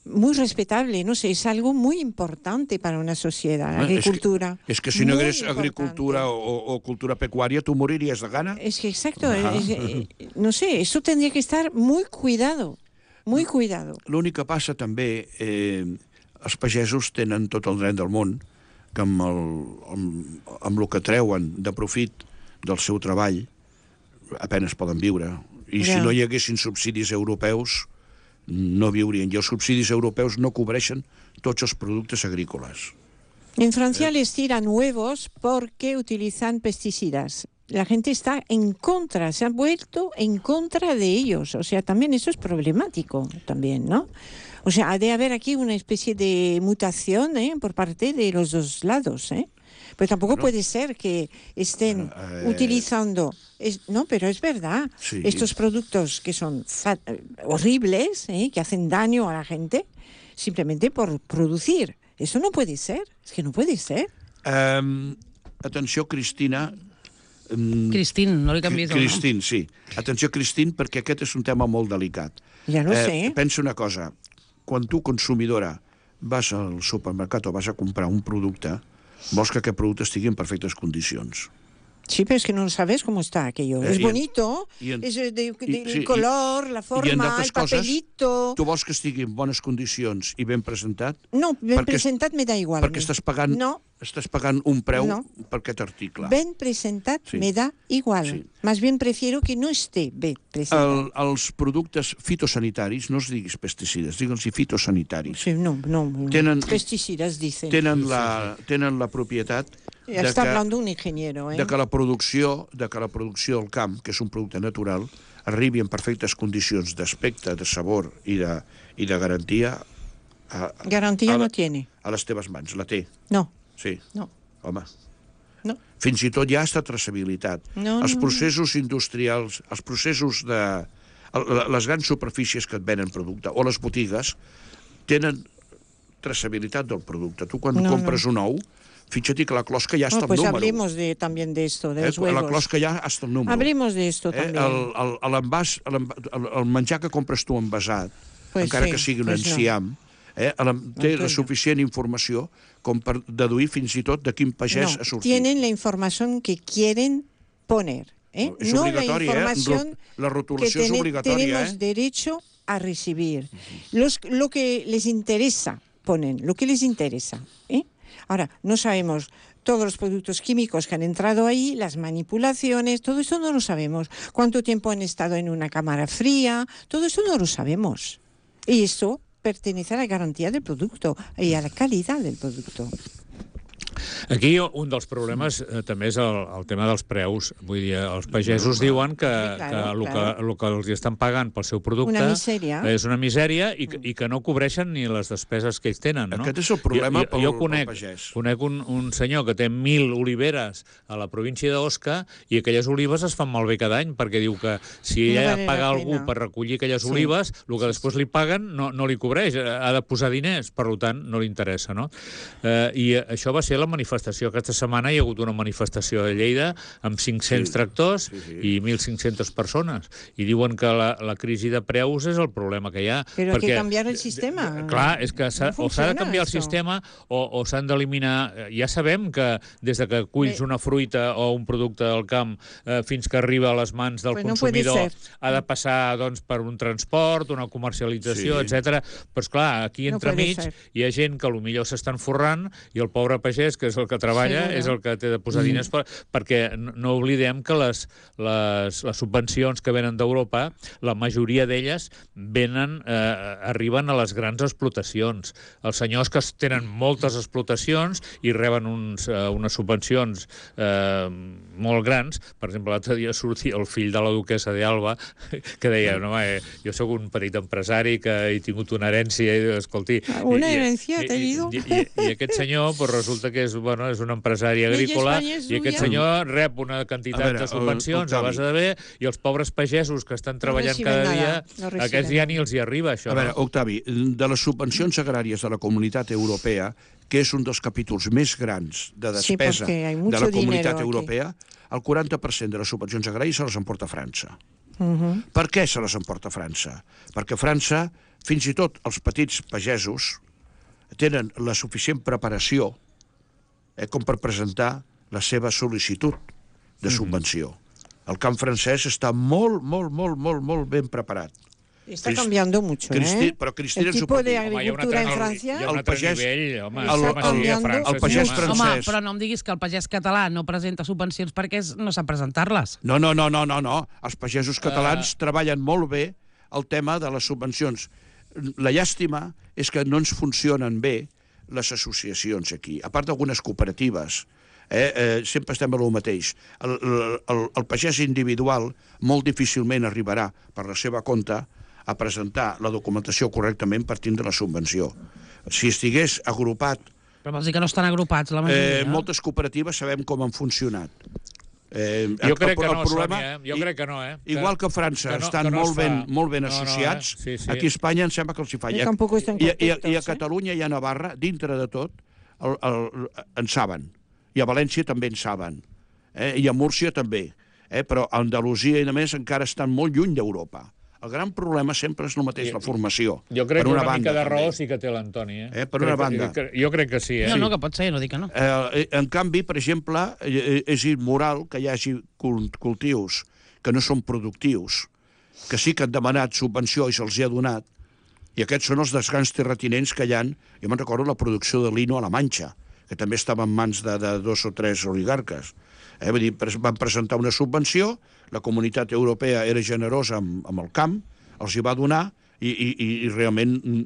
B: muy respetable, no sé, es algo muy importante para una sociedad, la
C: Eh, és que-
B: agricultura.
C: És que si no
B: Muy
C: hagués
B: importante.
C: agricultura o, o cultura pecuària, tu moriries de gana.
B: Es que exacto, es- eh, no sé, eso tendría que estar muy cuidado, muy cuidado.
C: L'únic que passa també, eh, els pagesos tenen tot el dret del món que amb el, amb, amb el que treuen de profit del seu treball apenes poden viure. I
B: Ja.
C: si no hi haguessin subsidis europeus, no viurien. I els subsidis europeus no cobreixen tots els productes agrícoles.
B: En Francia les tiran huevos porque utilizan pesticidas. La gente está en contra, se han vuelto en contra de ellos. O sea, también eso es problemático, también, ¿no? O sea, ha de haber aquí una especie de mutación, ¿eh? Por parte de los dos lados, ¿eh? Pero tampoco
C: Bueno.
B: puede ser que estén
C: Bueno, eh,
B: utilizando... es- no, pero es verdad.
C: Sí.
B: Estos productos que son fa- eh, horribles, ¿eh? Que hacen daño a la gente, simplemente por producir. Eso no puede ser. Es que no puede ser.
C: Um, atenció, Cristina. Um,
A: Cristín, no li canviïs el nom.
C: Cristín, sí. Atenció, Cristín, perquè aquest és un tema molt delicat.
B: Ja no sé.
C: Pensa una cosa. Quan tu, consumidora, vas al supermercat o vas a comprar un producte, vols que aquest producte estigui en perfectes condicions.
B: Sí, pero es que no sabes cómo está aquello.
C: Eh,
B: es
C: y en-
B: bonito,
C: y en-
B: es de, de-
C: y-
B: el
C: sí, y-
B: color, la
C: I en
B: forma,
C: d'altres
B: el
C: coses,
B: papelito.
C: tu vols que estigui en bones condicions i ben presentat,
B: No, ben
C: perquè-
B: presentat me da igual. a
C: perquè
B: mi.
C: estàs pagant,
B: No,
C: estàs pagant un preu
B: No.
C: per aquest article.
B: ben presentat
C: Sí.
B: me da igual.
C: Sí.
B: Más bien prefiero que no esté ben presentat.
C: El, els productes fitosanitaris, no es diguis pesticides, digue'ls fitosanitaris,
B: Sí, no, no.
C: Tenen-
B: Pesticidas dicen.
C: tenen la, tenen la propietat
B: Ya
C: de
B: está
C: que,
B: hablando un ingeniero, ¿eh?
C: de que la producció de que la producció del camp, que és un producte natural, arribi en perfectes condicions d'aspecte, de sabor i de, i de garantia a,
B: Garantía
C: a la-
B: no tiene.
C: a les teves mans. La té,
B: No,
C: sí.
B: no,
C: Home,
B: no.
C: fins i tot hi ha esta traçabilitat.
B: No,
C: els
B: no,
C: processos industrials, els processos de... el- Les grans superfícies que et venen producte, o les botigues, tenen traçabilitat del producte. Tu quan
B: No,
C: compres un ou, fíjate que la closca ja està
B: No, pues
C: el número.
B: hablemos de, también de esto, de
C: Eh?
B: los
C: La
B: huevos.
C: closca ja està el número.
B: Hablemos de esto
C: Eh?
B: también.
C: El, el, l'envàs, l'env- el, el menjar que compres tu envasat,
B: Pues
C: encara
B: sí,
C: que sigui un
B: pues no.
C: enciam, eh? el, té
B: Antonio.
C: la suficient informació com per deduir fins i tot de quin pagès
B: No,
C: ha sortit.
B: tienen la información que quieren poner. ¿eh?
C: Es
B: No la
C: obligatoria, ¿eh?
B: información
C: La
B: que
C: rotulació és
B: tene-
C: obligatòria,
B: tenemos
C: eh?
B: derecho a recibir. Los, lo que les interesa ponen, lo que les interesa. ¿eh? Ahora, no sabemos todos los productos químicos que han entrado ahí, las manipulaciones, todo eso no lo sabemos. Cuánto tiempo han estado en una cámara fría, todo eso no lo sabemos. Y eso pertenece a la garantía del producto y a la calidad del producto.
D: Aquí un dels problemes eh, també és el, el tema dels preus. Vull dir, els pagesos diuen que,
B: Sí,
D: que
B: claro,
D: el que,
B: claro.
D: el que els estan pagant pel seu producte
B: Una misèria.
D: és una misèria i, que- i que no cobreixen ni les despeses que ells tenen. No?
C: Aquest és el problema
D: jo, jo,
C: pel-
D: jo
C: pel
D: conec,
C: pagès.
D: conec un, un senyor que té mil oliveres a la província d'Osca i aquelles olives es fan malbé cada any perquè diu que si
B: No
D: ella
B: vale la
D: paga algú
B: pena.
D: per recollir aquelles
B: Sí.
D: olives, el que després li paguen no, no li cobreix, ha de posar diners, per tant no li interessa. No? Eh, I això va ser la manifestació. Aquesta setmana hi ha hagut una manifestació a Lleida amb cinc-cents
C: Sí.
D: tractors
C: Sí, sí.
D: i mil cinc-centes persones. I diuen que la, la crisi de preus és el problema que hi ha.
B: Pero hay que cambiar el sistema.
D: Clar, és que s'ha,
B: No
D: o s'ha de
B: funciona
D: canviar el
B: esto.
D: sistema o, o s'han d'eliminar... Ja sabem que des de que culls
B: Bé.
D: una fruita o un producte del camp eh, fins que arriba a les mans del
B: Pues no puede
D: consumidor
B: ser.
D: ha de passar doncs, per un transport, una comercialització,
C: Sí.
D: etcètera. Però, esclar, aquí
B: No
D: entremig
B: puede ser.
D: hi ha gent que potser s'estan forrant i el pobre pagès, que és el que treballa,
B: Seguro.
D: és el que té de posar diners per, perquè no no oblidem que les, les, les subvencions que venen d'Europa, la majoria d'elles venen, eh, arriben a les grans explotacions. Els senyors que tenen moltes explotacions i reben uns, eh, unes subvencions eh, molt grans. Per exemple, l'altre dia sortia el fill de la duquessa d'Alba que deia, no, eh, jo sóc un petit empresari que he tingut una herència i, escolti...
B: Una
D: i- i-
B: herencia,
D: i-
B: t'he
D: i,
B: dit?
D: i, i, I aquest senyor, pues, resulta que que és, bueno, és un empresari agrícola i aquest senyor rep una quantitat de subvencions a base de bé i els pobres pagesos que estan treballant cada dia, aquests ja ni els hi arriba, això.
C: A veure, Octavi, de les subvencions agràries de la Comunitat Europea, que és un dels capítols més grans de despesa de la Comunitat Europea, el quaranta per cent de les subvencions agràries se les emporta França. Uh-huh. Per què se les emporta França? Perquè França, fins i tot els petits pagesos, tenen la suficient preparació eh, com per presentar la seva sol·licitud de subvenció. El camp francès està molt, molt, molt, molt, molt ben preparat.
B: Está cambiando mucho,
C: Cristi,
B: ¿eh?
C: Però Cristina
B: el tipo de agricultura en Francia...
D: Hi ha un altre nivell, home,
C: el, el, el, el pagès francès...
A: Home, però no em diguis que el pagès català no presenta subvencions perquè no sap presentar-les.
C: No, no, no, no, no, no. Els pagesos catalans uh... treballen molt bé el tema de les subvencions. La llàstima és que no ens funcionen bé les associacions aquí, a part d'algunes cooperatives. Eh, eh, sempre estem a lo mateix. El, el, el pagès individual molt difícilment arribarà per la seva compte a presentar la documentació correctament partint de la subvenció. Si estigués agrupat...
A: Però vols dir que no estan agrupats, la majoria?
C: Eh, moltes cooperatives sabem com han funcionat.
D: Eh, jo crec el, el que no, problema, Sònia, eh? Jo crec que no, eh?
C: Igual que a França que no, estan que no molt, ben, molt ben associats, no, no, eh? sí, sí. Aquí a Espanya em sembla que els hi fa. I, I, i, I a Catalunya i a Navarra, dintre de tot, el, el, en saben. I a València també en saben. Eh? I a Múrcia també. Eh? Però a Andalusia i a més encara estan molt lluny d'Europa. El gran problema sempre és el mateix, la formació.
D: Jo crec que una, una mica de raó sí que té l'Antoni. Eh?
C: Eh, per una banda.
D: Que, jo crec que sí. Eh?
A: No, no, que pot ser, no dic que no.
C: Eh, en canvi, per exemple, és immoral que hi hagi cultius que no són productius, que sí que han demanat subvenció i se'ls ha donat, i aquests són els dels grans terratinents que hi ha. Jo me'n recordo la producció de lino a la Manxa, que també estava en mans de, de dos o tres oligarques. Eh, vull dir, van presentar una subvenció, la Comunitat Europea era generosa amb, amb el camp, els hi va donar i, i, i realment en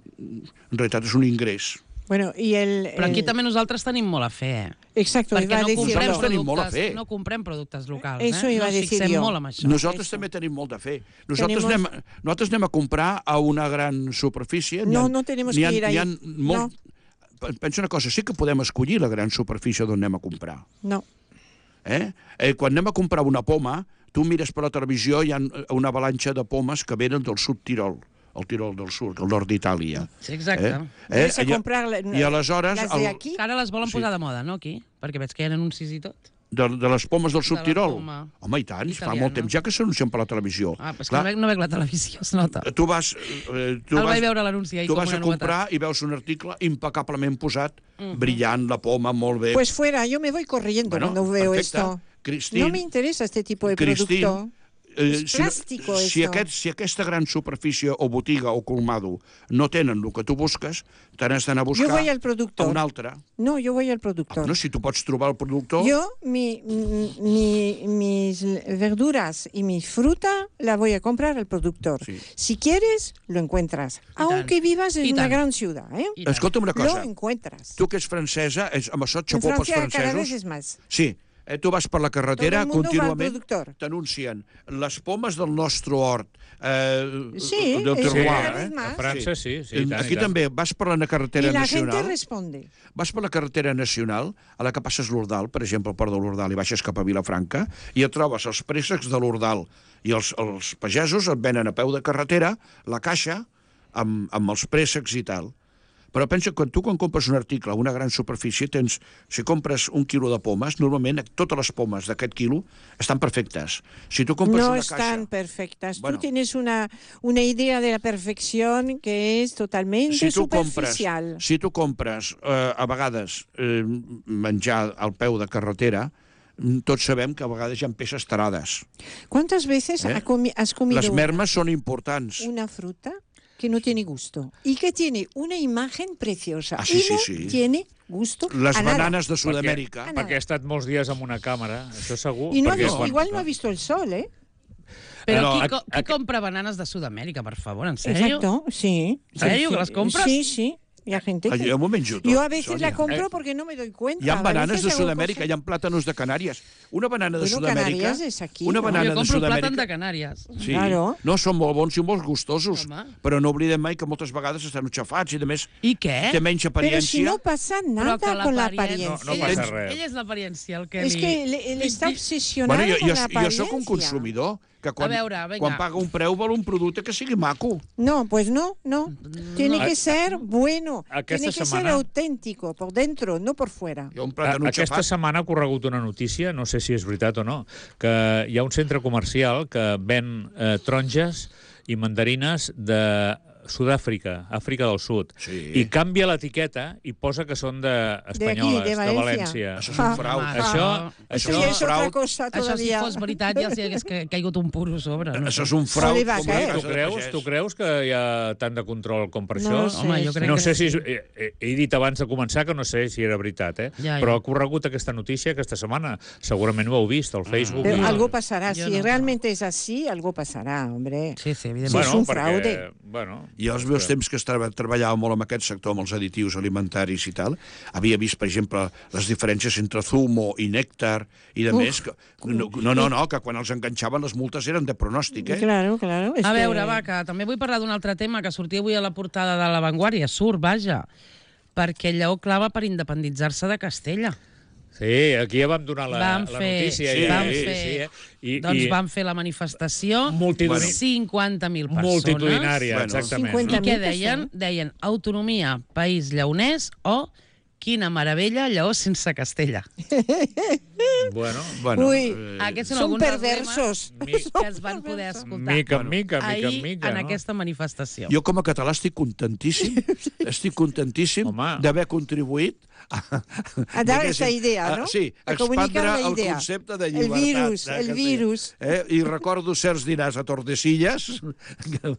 C: realitat és un ingrés.
B: Bueno, y el,
A: Però aquí el... també nosaltres tenim molt a fer.
B: Exacto,
A: perquè no comprem,
C: tenim molt a fer.
A: no comprem productes locals.
B: Eso
A: eh?
B: iba
A: no
B: a decir yo.
A: Molt amb això.
C: Nosaltres eso. també tenim molt de fer. Nosaltres, tenemos... anem, nosaltres anem a comprar a una gran superfície.
B: No,
C: ha,
B: no tenemos que ir ahí.
C: Molt... No. Pensa una cosa, sí que podem escollir la gran superfície d'on anem a comprar.
B: No.
C: Eh? Eh, quan anem a comprar una poma, tu mires per la televisió, hi ha una avalanxa de pomes que venen del sud Tirol, el Tirol del Sud, el nord d'Itàlia.
A: Sí, exacte.
C: Eh? Eh?
B: A comprar
C: I, I aleshores...
B: les de aquí?
A: Ara les volen posar sí. de moda, no, aquí? Perquè veig que hi ha anuncis i tot.
C: De, de les pomes del sud
A: de
C: Tirol?
A: Poma.
C: Home, i tant,
A: Italiana.
C: fa molt temps ja que s'anuncien per la televisió.
A: Ah, però és que no veig, no veig la televisió, es nota.
C: Tu vas... Eh, tu
A: El
C: vas,
A: vaig veure l'anunci ahir
C: tu
A: com
C: vas
A: una
C: a comprar
A: novetat.
C: I veus un article impecablement posat, uh-huh. brillant, la poma, molt bé.
B: Pues fuera, yo me voy corriendo bueno, cuando veo perfecte. Esto.
C: Christine,
B: no me interesa este tipo de
C: Christine,
B: producto.
C: Eh,
B: és plàstico,
C: si, si, aquest, si aquesta gran superfície o botiga o colmado no tenen el que tu busques, te n'has d'anar a buscar
B: yo voy al productor.
C: a un altre.
B: No, yo voy al productor.
C: Ah, no, si tu pots trobar el productor...
B: Yo, mi, mi, mis verduras y mi fruta la voy a comprar al productor. Sí. Si quieres, lo encuentras. Aunque vivas en una gran ciudad. ¿eh?
C: Escolta'm una cosa.
B: Lo encuentras.
C: Tu que ets francesa, és, amb això xapó pels francesos...
B: En Francia cada vez es más.
C: Sí. Eh, tu vas per la carretera, contínuament t'anuncien les pomes del nostre hort, eh,
B: sí,
C: del terroir.
D: Sí, eh? A França sí. sí, sí
C: tant, Aquí tant. També vas per la carretera
B: I la
C: nacional.
B: gent responde.
C: Vas per la carretera nacional, a la que passes l'Ordal, per exemple, al port de l'Ordal, i baixes cap a Vilafranca, i et trobes els préssecs de l'Ordal, i els, els pagesos et venen a peu de carretera la caixa amb, amb els préssecs i tal. Però pensa que tu, quan compres un article a una gran superfície, tens, si compres un quilo de pomes, normalment totes les pomes d'aquest quilo estan perfectes. Si tu compres
B: no
C: una caixa...
B: No están perfectas. Bueno, tú tienes una, una idea de la perfección que es totalmente
C: si tu
B: superficial.
C: Compres, si tu compres, eh, a vegades, eh, menjar al peu de carretera, tots sabem que a vegades hi ha peces tarades.
B: ¿Cuántas veces eh? has comido...
C: Les mermes són importants.
B: Una fruta que no tiene gusto y que tiene una imagen preciosa
C: ah, sí,
B: y no
C: sí, sí.
B: tiene gusto
C: Les
B: a
C: bananes
B: nada.
C: de Sud-amèrica.
D: Perquè, perquè he estat molts dies amb una càmera, això segur.
B: I no ha
D: perquè
B: vist,
D: quan...
B: igual no ha visto el sol, ¿eh?
A: Però
C: no,
A: qui,
C: a,
A: qui
C: a,
A: compra bananes de Sud-amèrica, per favor, en sèrio?
B: Exacto, sí.
A: En sèrio, que les compres?
B: Sí, sí. Hay gente que...
C: Jo m'ho menjo tot,
B: Yo a veces
C: Sonia.
B: la compro porque no me doy cuenta.
C: Hi ha
B: A
C: bananes
B: veces
C: de
B: hago
C: Sud-amèrica,
B: cosas-
C: hi ha plàtanos de Canàries. Una banana de
B: Bueno,
C: Sud-amèrica...
B: Canàries és aquí,
C: Una
B: no?
C: banana
A: Jo
C: de
A: compro plàtan de
C: Sud-amèrica...
A: Canàries.
C: Sí,
B: Claro.
C: no, són molt bons i molt gustosos,
A: Home.
C: però no oblidem mai que moltes vegades estan xafats i, a més,
A: I què?
C: té menys
B: Pero si
C: apariència.
B: no pasa nada con la apariencia.
D: No, no
A: ella,
D: passa
A: és-
D: res.
A: Ella és l'apariència, el que
B: Es
A: li...
B: que él, él está
A: li-
B: obsesionado
C: Bueno, jo,
B: con
C: jo,
B: la
C: jo
B: apariencia.
C: sóc un consumidor que quan,
A: A veure, vinga.
C: quan paga un preu vol un producte que sigui maco.
B: No, pues no, no. Tiene
D: No.
B: que ser bueno.
D: Aquesta
B: Tiene que ser
D: setmana-
B: auténtico, por dentro, no por fuera.
C: Jo un
D: A-
C: plàtan
D: Aquesta
C: xafat...
D: setmana ha corregut una notícia, no sé si és veritat o no, que hi ha un centre comercial que ven eh, taronges i mandarines de Sud-àfrica, Àfrica del Sud,
C: Sí.
D: i canvia l'etiqueta i posa que són de espanyoles,
B: de
D: de,
B: València.
D: València.
C: Això és un frau.
A: Home,
D: Això,
B: Eso
D: això,
B: ya es otra
C: fraude.
B: cosa
A: Això si
B: todavía.
A: fos veritat ja els hi hagués ca- caigut un puro a sobre. No?
C: Això és un frau.
B: No li va
C: com una
B: caer.
C: casa
D: tu
C: de
D: creus,
C: pagès.
D: tu creus que hi ha tant de control com per
B: No
D: això?
B: ho sé,
A: Home, jo crec
D: No
A: que
D: sé
A: sí.
D: si... És, he, he dit abans de començar que no sé si era veritat, eh?
A: Ja, ja.
D: Però ha corregut aquesta notícia aquesta setmana. Segurament ho heu vist al Facebook.
B: Pero
D: i-
B: algo pasará.
A: Yo
B: Si
A: no.
B: realmente es así, algo pasará, hombre.
A: Sí, sí, evidentment.
B: Bueno, és un
D: perquè,
B: fraude.
D: Bueno,
C: Jo als meus temps que estava, treballava molt amb aquest sector, amb els additius alimentaris i tal, havia vist, per exemple, les diferències entre zumo i nèctar i de
B: Uf.
C: més. Que, no, no, no, no, que quan els enganxaven les multes eren de pronòstic, eh?
B: Claro, claro. es
A: A
B: que-
A: veure, va, que també vull parlar d'un altre tema que sortia avui a la portada de La Vanguardia. Surt, vaja, perquè Lleó clava per independitzar-se de Castella.
D: sí, aquí ja vam donar la,
A: Vam
D: la
A: fer-
D: notícia.
C: sí,
D: ja,
A: vam
D: sí,
A: fer-
D: sí, eh? I,
A: Doncs
D: i
A: van fer la manifestació,
D: Multitudin-
A: cinquanta mil persones.
D: multitudinària,
C: Bueno,
D: exactament.
B: cinquanta
A: I què
B: mil
A: deien? Deien autonomia, país lleonès o quina meravella, Lleó sense Castella.
D: Bueno,
C: Bueno,
B: Uy,
C: eh,
A: Aquests són
B: Son
A: alguns dels
B: perversos.
A: lemes que es van poder escoltar
D: mica en mica, mica
A: ahir
D: en mica,
A: en
D: no?
A: aquesta manifestació.
C: jo com a català estic contentíssim, estic contentíssim
D: Home.
C: d'haver contribuït a,
B: A dar
C: diguéssim,
B: esta idea,
C: a-
B: ¿no?
C: Sí, a
B: A comunicar
C: expandre
B: la
C: el
B: idea.
C: concepte de
B: El
C: llibertat.
B: virus,
C: de
B: el
C: Castella.
B: virus.
C: Eh? I recordo certs dinars a Tordesillas. que,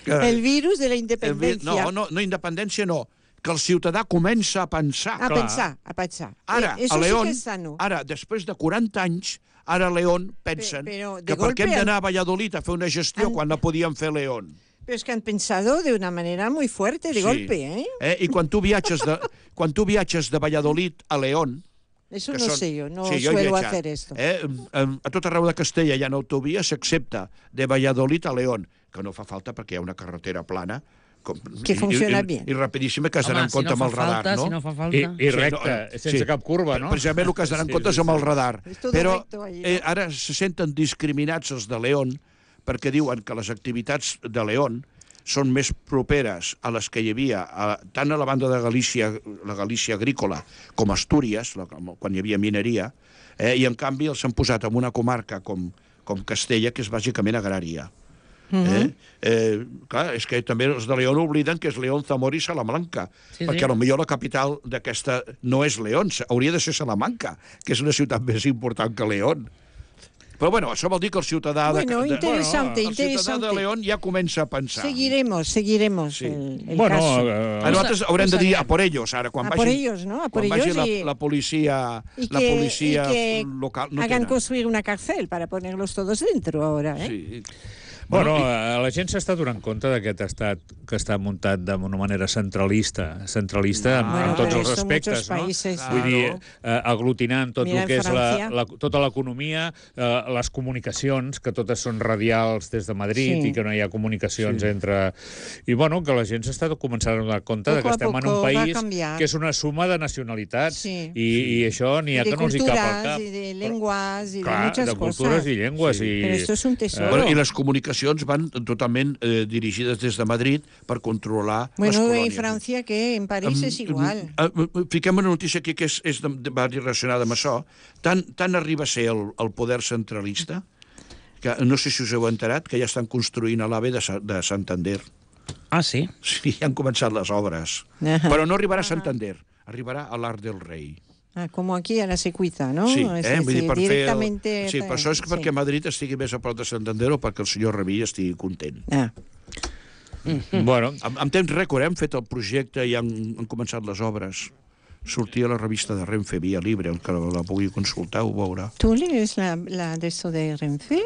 C: que,
B: El virus de la
C: el vi-
B: independencia.
C: no, no, no, independència no, que el ciutadà comença a pensar.
B: A
D: Clar.
B: pensar, a pensar.
C: Ara,
B: Eh, Eso
C: a
B: sí
C: León,
B: que es sano.
C: ara, després de quaranta anys, ara a León pensen
B: Pe- però de
C: que per
B: golpe
C: què hem
B: han-
C: d'anar a Valladolid a fer una gestió
B: han-
C: quan la podíem fer a León?
B: Pero es que han pensado de una manera muy fuerte, de
C: Sí.
B: golpe, ¿eh?
C: eh? I quan tu viatges de, quan tu viatges de Valladolid a León,
B: Eso
C: que
B: no
C: són-
B: sé yo, no
C: sí, jo he
B: suelo
C: viatjat.
B: hacer esto.
C: Eh? A tot arreu de Castella hi ha autovies, s'accepta de Valladolid a León, que no fa falta perquè hi ha una carretera plana, com,
B: Que funciona
C: i,
B: bien.
C: I, i rapidíssim que has d'anar
A: Home,
C: en
A: si
C: compte
A: no
C: amb
A: fa
C: el radar,
A: falta,
C: no?
A: si no fa falta...
D: I, i
C: Sí,
D: recte,
C: no, eh,
D: sense
C: sí.
D: cap curva, no?
C: Precisament el que has d'anar en
D: Sí,
C: compte és
D: sí,
C: amb el
D: sí.
C: radar.
B: És tot
C: Però
B: recto allí, no?
C: eh, ara se senten discriminats els de León perquè diuen que les activitats de León són més properes a les que hi havia a, tant a la banda de Galícia, la Galícia agrícola, com a Astúries, la, quan hi havia mineria, eh, i en canvi els han posat en una comarca com, com Castella, que és bàsicament agrària. Eh? Eh, clar, és que també els de León obliden que és León, Zamora i Salamanca,
A: Sí, sí.
C: perquè potser la capital d'aquesta no és León, hauria de ser Salamanca, que és una ciutat més important que León. Però bueno, això vol dir que el ciutadà de,
B: Bueno,
C: de,
B: interesante,
C: el ciutadà
B: interesante.
C: de León ja comença a pensar.
B: Seguiremos, seguiremos
C: Sí.
B: el, el
D: Bueno,
B: caso.
D: eh,
C: A nosaltres haurem de dir
B: sabíem.
C: a por ellos, ara, quan
B: A
C: vagi,
B: por ellos, ¿no? A por
C: quan vagi
B: ellos
C: la,
B: y-
C: la policia,
B: Y
C: la
B: que,
C: policia
B: y que
C: local. No
B: hagan
C: tenen.
B: construir una cárcel para ponerlos todos dentro ahora, ¿eh?
C: Sí.
D: Bueno,
C: Bueno,
D: eh, la gent s'està donant compte d'aquest estat que està muntat d'una manera centralista, centralista en,
B: Bueno,
D: en tots
B: pero
D: els
B: esto
D: aspectes,
B: muchos
D: no?
B: países-
D: Vull dir,
C: Claro.
D: eh, aglutinant tot
B: Mira
D: el que
B: en
D: és la,
B: Francia.
D: la, tota l'economia, eh, les comunicacions, que totes són radials des de Madrid
B: Sí.
D: i que no hi ha comunicacions
C: Sí.
D: entre... I, bueno, que la gent s'està començant a donar compte de
B: Poco
D: que
B: a
D: estem en
B: poco
D: un
B: va a
D: país
B: cambiar.
D: que és una suma de nacionalitats
B: Sí.
D: i, i això n'hi ha
B: Y de
D: que no els hi cap al
B: culturas,
D: cap.
B: y de lenguas, y de
D: Clar,
B: muchas
D: de
B: cosas.
D: cultures i llengües.
C: Sí.
D: I,
B: Pero esto es un tesoro.
C: Bueno, I les comunicacions van totalment eh, dirigides des de Madrid per controlar les
B: Bueno,
C: colònies.
B: en Francia, que en París
C: Em,
B: es igual.
C: em, em, Fiquem una notícia aquí que és, és de, de, va relacionada amb això. Tant, tant arriba a ser el, el poder centralista, que no sé si us heu enterat, que ja estan construint a l'AVE de, Sa- de Santander.
A: Ah, sí?
C: Sí, ja han començat les obres.
B: Ajá.
C: Però no arribarà a Santander, arribarà a l'Arc del Rei.
B: Ah, como aquí a la Secuita, ¿no?
C: Sí,
B: Es
C: eh? Vull dir,
B: decir,
C: per fer...
B: directamente...
C: El... Sí, per això és que perquè Madrid estigui més a prop de Santander o perquè el senyor Revilla estigui content.
B: Ah.
D: bueno,
C: En, en temps rècord hem fet el projecte i han, han començat les obres. Sortia a la revista de Renfe, Via Libre, el que la, la pugui consultar ho veurà.
B: ¿Tú lees la, la de esto de Renfe?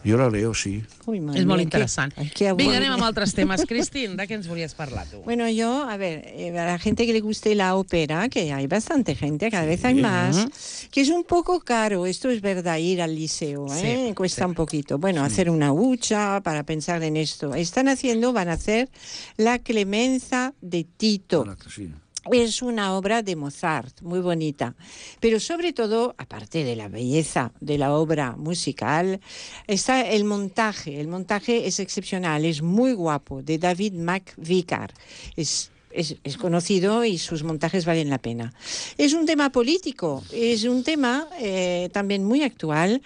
C: Jo la leo, sí.
B: Uy, madre
A: És molt
B: mía,
A: interessant.
B: qué- ay, qué
A: Vinga,
B: aburrido.
A: anem amb altres temes. Cristín, de què ens volies parlar, tu?
B: Bueno, yo, a ver, eh, a la gente que le guste la ópera, que hay bastante gente, cada vez hay más, que es un poco caro, esto es verdad, ir al liceo, ¿eh?
A: Sí,
B: Cuesta
A: sí.
B: un poquito. Bueno, hacer una hucha para pensar en esto. Están haciendo, van a hacer La Clemenza de Tito.
C: Ara que sí.
B: Es una obra de Mozart, muy bonita. Pero sobre todo, aparte de la belleza de la obra musical, está el montaje. El montaje es excepcional, es muy guapo, de David McVicar. Es Es, es conocido y sus montajes valen la pena. Es un tema político, es un tema eh, también muy actual,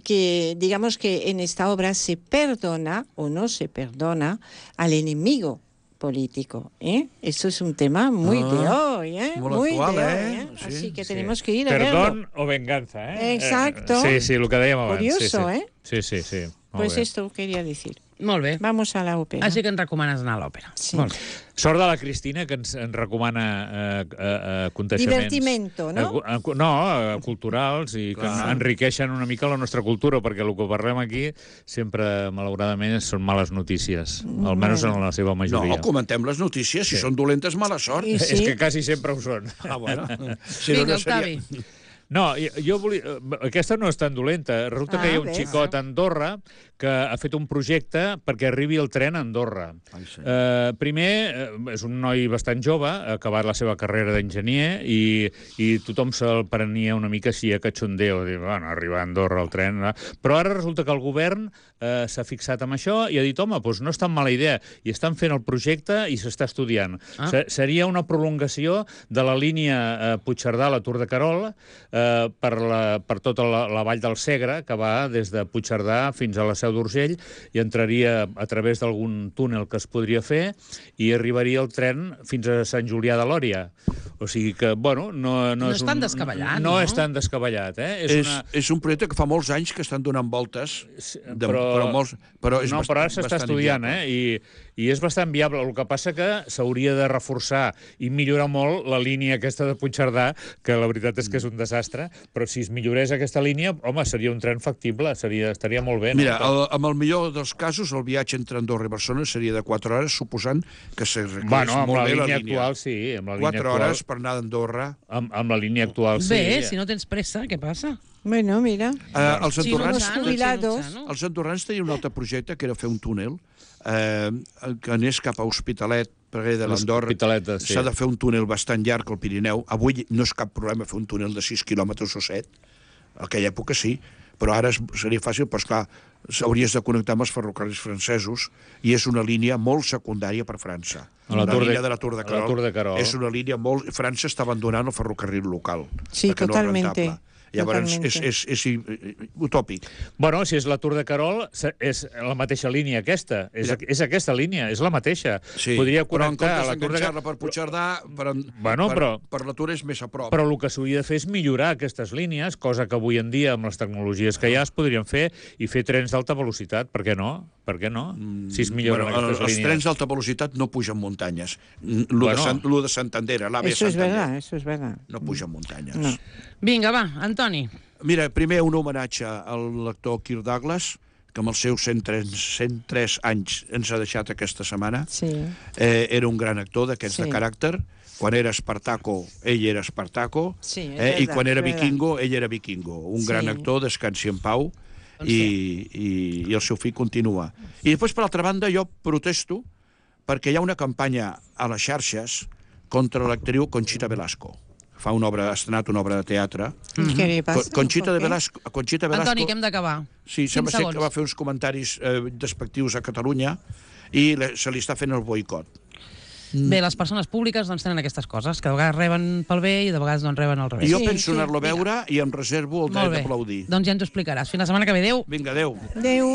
B: que digamos que en esta obra se perdona o no se perdona al enemigo político, ¿eh? Esto es un tema muy
C: Ah,
B: de hoy, ¿eh?
C: muy
B: Muy
C: actual,
B: de
C: ¿eh?
B: hoy, ¿eh?
C: Sí,
B: Así que
D: Sí.
B: tenemos que ir a
D: Perdón
B: verlo.
D: o venganza, eh?
B: Exacto.
D: Eh, Sí, sí, el que dèiem abans.
B: Curioso,
D: sí, sí.
B: eh?
D: Sí, sí, sí. Molt
B: Pues
D: bé.
B: esto quería decir.
A: Molt bé.
B: Vamos a la ópera.
A: Així que ens recomanes anar a l'òpera.
B: Sí.
A: Molt bé.
D: Sort de la Cristina, que ens, ens recomana eh, eh, eh, aconteixements...
B: Divertimento, no?
D: Eh, eh, no, eh, culturals, i que
C: Clar.
D: enriqueixen una mica la nostra cultura, perquè el que parlem aquí sempre, malauradament, són males notícies, almenys en la seva majoria.
C: No, comentem les notícies. Si
D: Sí.
C: són dolentes, mala sort.
B: I sí.
D: És que quasi sempre ho són.
C: Ah, bueno. Si
A: Vinga,
C: no, no seria...
A: Octavi.
D: No, jo, jo volia... Aquesta no és tan dolenta. Resulta
B: Ah,
D: que hi ha un
B: ves.
D: xicot a Andorra que ha fet un projecte perquè arribi el tren a Andorra.
C: Ai, senyor.
D: Eh, primer, eh, és un noi bastant jove, ha acabat la seva carrera d'enginyer i, i tothom se'l prenia una mica així a cachondeo, dir, bueno, arribar a Andorra el tren... eh? Però ara resulta que el govern eh, s'ha fixat amb això i ha dit, home, doncs no és tan mala idea. I estan fent el projecte i s'està estudiant.
A: Ah.
D: Se- Seria una prolongació de la línia eh, Puigcerdà a la Tour de Carol eh, per, la, per tota la, la vall del Segre, que va des de Puigcerdà fins a la Seu d'Urgell i entraria a través d'algun túnel que es podria fer i arribaria el tren fins a Sant Julià de Lòria. O sigui que, bueno, no, no,
A: No
D: és,
A: és tan
D: un,
A: descabellat,
D: no?
A: no?
D: és tan descabellat, eh? És,
C: És,
D: una...
C: és un projecte que fa molts anys que estan donant voltes, de,
D: però-
C: però, molts, però és
D: no,
C: bast-
D: però ara s'està
C: bastant
D: estudiant,
C: inviable.
D: eh? I, I és bastant viable. El que passa que s'hauria de reforçar i millorar molt la línia aquesta de Puigcerdà, que la veritat és que és un desastre, però si es millorés aquesta línia, home, seria un tren factible, seria, estaria molt bé.
C: Mira,
D: no?
C: el, amb el millor dels casos, el viatge entre Andorra i Barcelona seria de quatre hores, suposant que s'arreglés
D: Bueno, amb
C: molt
D: la
C: bé la
D: línia
C: línia.
D: actual, sí. Amb la línia
C: quatre
D: actual,
C: hores per anar d'Andorra.
D: Amb, amb la línia actual, sí.
A: Bé, si no tens pressa, què passa?
B: Bueno, mira.
C: Eh, els
A: Si no
C: andorrans...
B: Los jubilados.
A: no?
C: Els andorrans tenien un altre projecte, que era fer un túnel, eh, que anés cap a Hospitalet, perquè de l'Andorra
D: L'Hospitalet, sí.
C: s'ha de fer un túnel bastant llarg al Pirineu. Avui no és cap problema fer un túnel de sis quilòmetres o set, en aquella època sí, però ara es- seria fàcil, però esclar, s'hauries de connectar amb els ferrocarrils francesos i és una línia molt secundària per França.
D: A la
C: la
D: Tour de-
C: línia de la Tour de
D: a la
C: Carol,
D: Tour de Carol.
C: és una línia molt... França està abandonant el ferrocarril local.
B: Sí,
C: perquè no és
B: totalmente,
C: rentable. Llavors, és,
B: totalmente.
C: és, és, és utòpic.
D: Bueno, si és la Tour de Carol, se- és la mateixa línia aquesta. És,
C: Ja.
D: és aquesta línia, és la mateixa.
C: Sí,
D: Podria
C: però en
D: connectar a
C: comptes
D: la Tour de
C: d'enganxar-la
D: Carol...
C: per Puigcerdà, per, en-
D: Bueno,
C: per,
D: però-
C: per la Tour és més a prop.
D: Però el que s'hauria de fer és millorar aquestes línies, cosa que avui en dia, amb les tecnologies que hi ha, es podrien fer, i fer trens d'alta velocitat. Per què no? Per què no? Si es milloren
C: Bueno,
D: aquestes
C: els
D: línies.
C: trens d'alta velocitat no pugen muntanyes. Lo,
D: Bueno.
C: de, Sant, lo de Santander, l'A V
B: Eso es
C: Santander,
B: verdad, eso es verdad.
C: no pugen muntanyes.
B: No.
A: Vinga, va, Antoni.
C: Mira, primer un homenatge al lector Kirk Douglas, que amb els seus cent tres, cent tres anys ens ha deixat aquesta setmana.
B: Sí.
C: Eh, era un gran actor d'aquests
B: Sí.
C: de caràcter. Quan era Espartaco, ell era Espartaco.
B: Sí, és
C: eh, I
B: verdad,
C: quan era
B: és verdad.
C: vikingo, ell era vikingo. Un
B: Sí.
C: gran actor, descansi en pau, i, i, i el seu fill continua. I després, per altra banda, jo protesto perquè hi ha una campanya a les xarxes contra l'actriu Conchita Velasco. Fa una obra, ha estrenat una obra de teatre.
B: ¿Qué le pasa?
C: Co- Conchita,
B: ¿Por
C: de
B: qué?
C: Velasco, Conchita Velasco...
A: Antoni, que hem d'acabar.
C: Sí, sembla
A: Cinc
C: ser que
A: segons.
C: va fer uns comentaris eh, despectius a Catalunya i le, se li està fent el boicot.
A: Bé, les persones públiques doncs tenen aquestes coses, que de vegades reben pel bé i de vegades doncs reben al
C: I
A: revés.
C: jo
B: Sí,
C: penso
B: sí.
C: anar-lo a veure i em reservo el
A: Molt
C: dret
A: bé.
C: d'aplaudir.
A: Doncs ja ens ho explicaràs. Fins la setmana que ve. Adéu.
C: Vinga, adéu.
B: Adeu.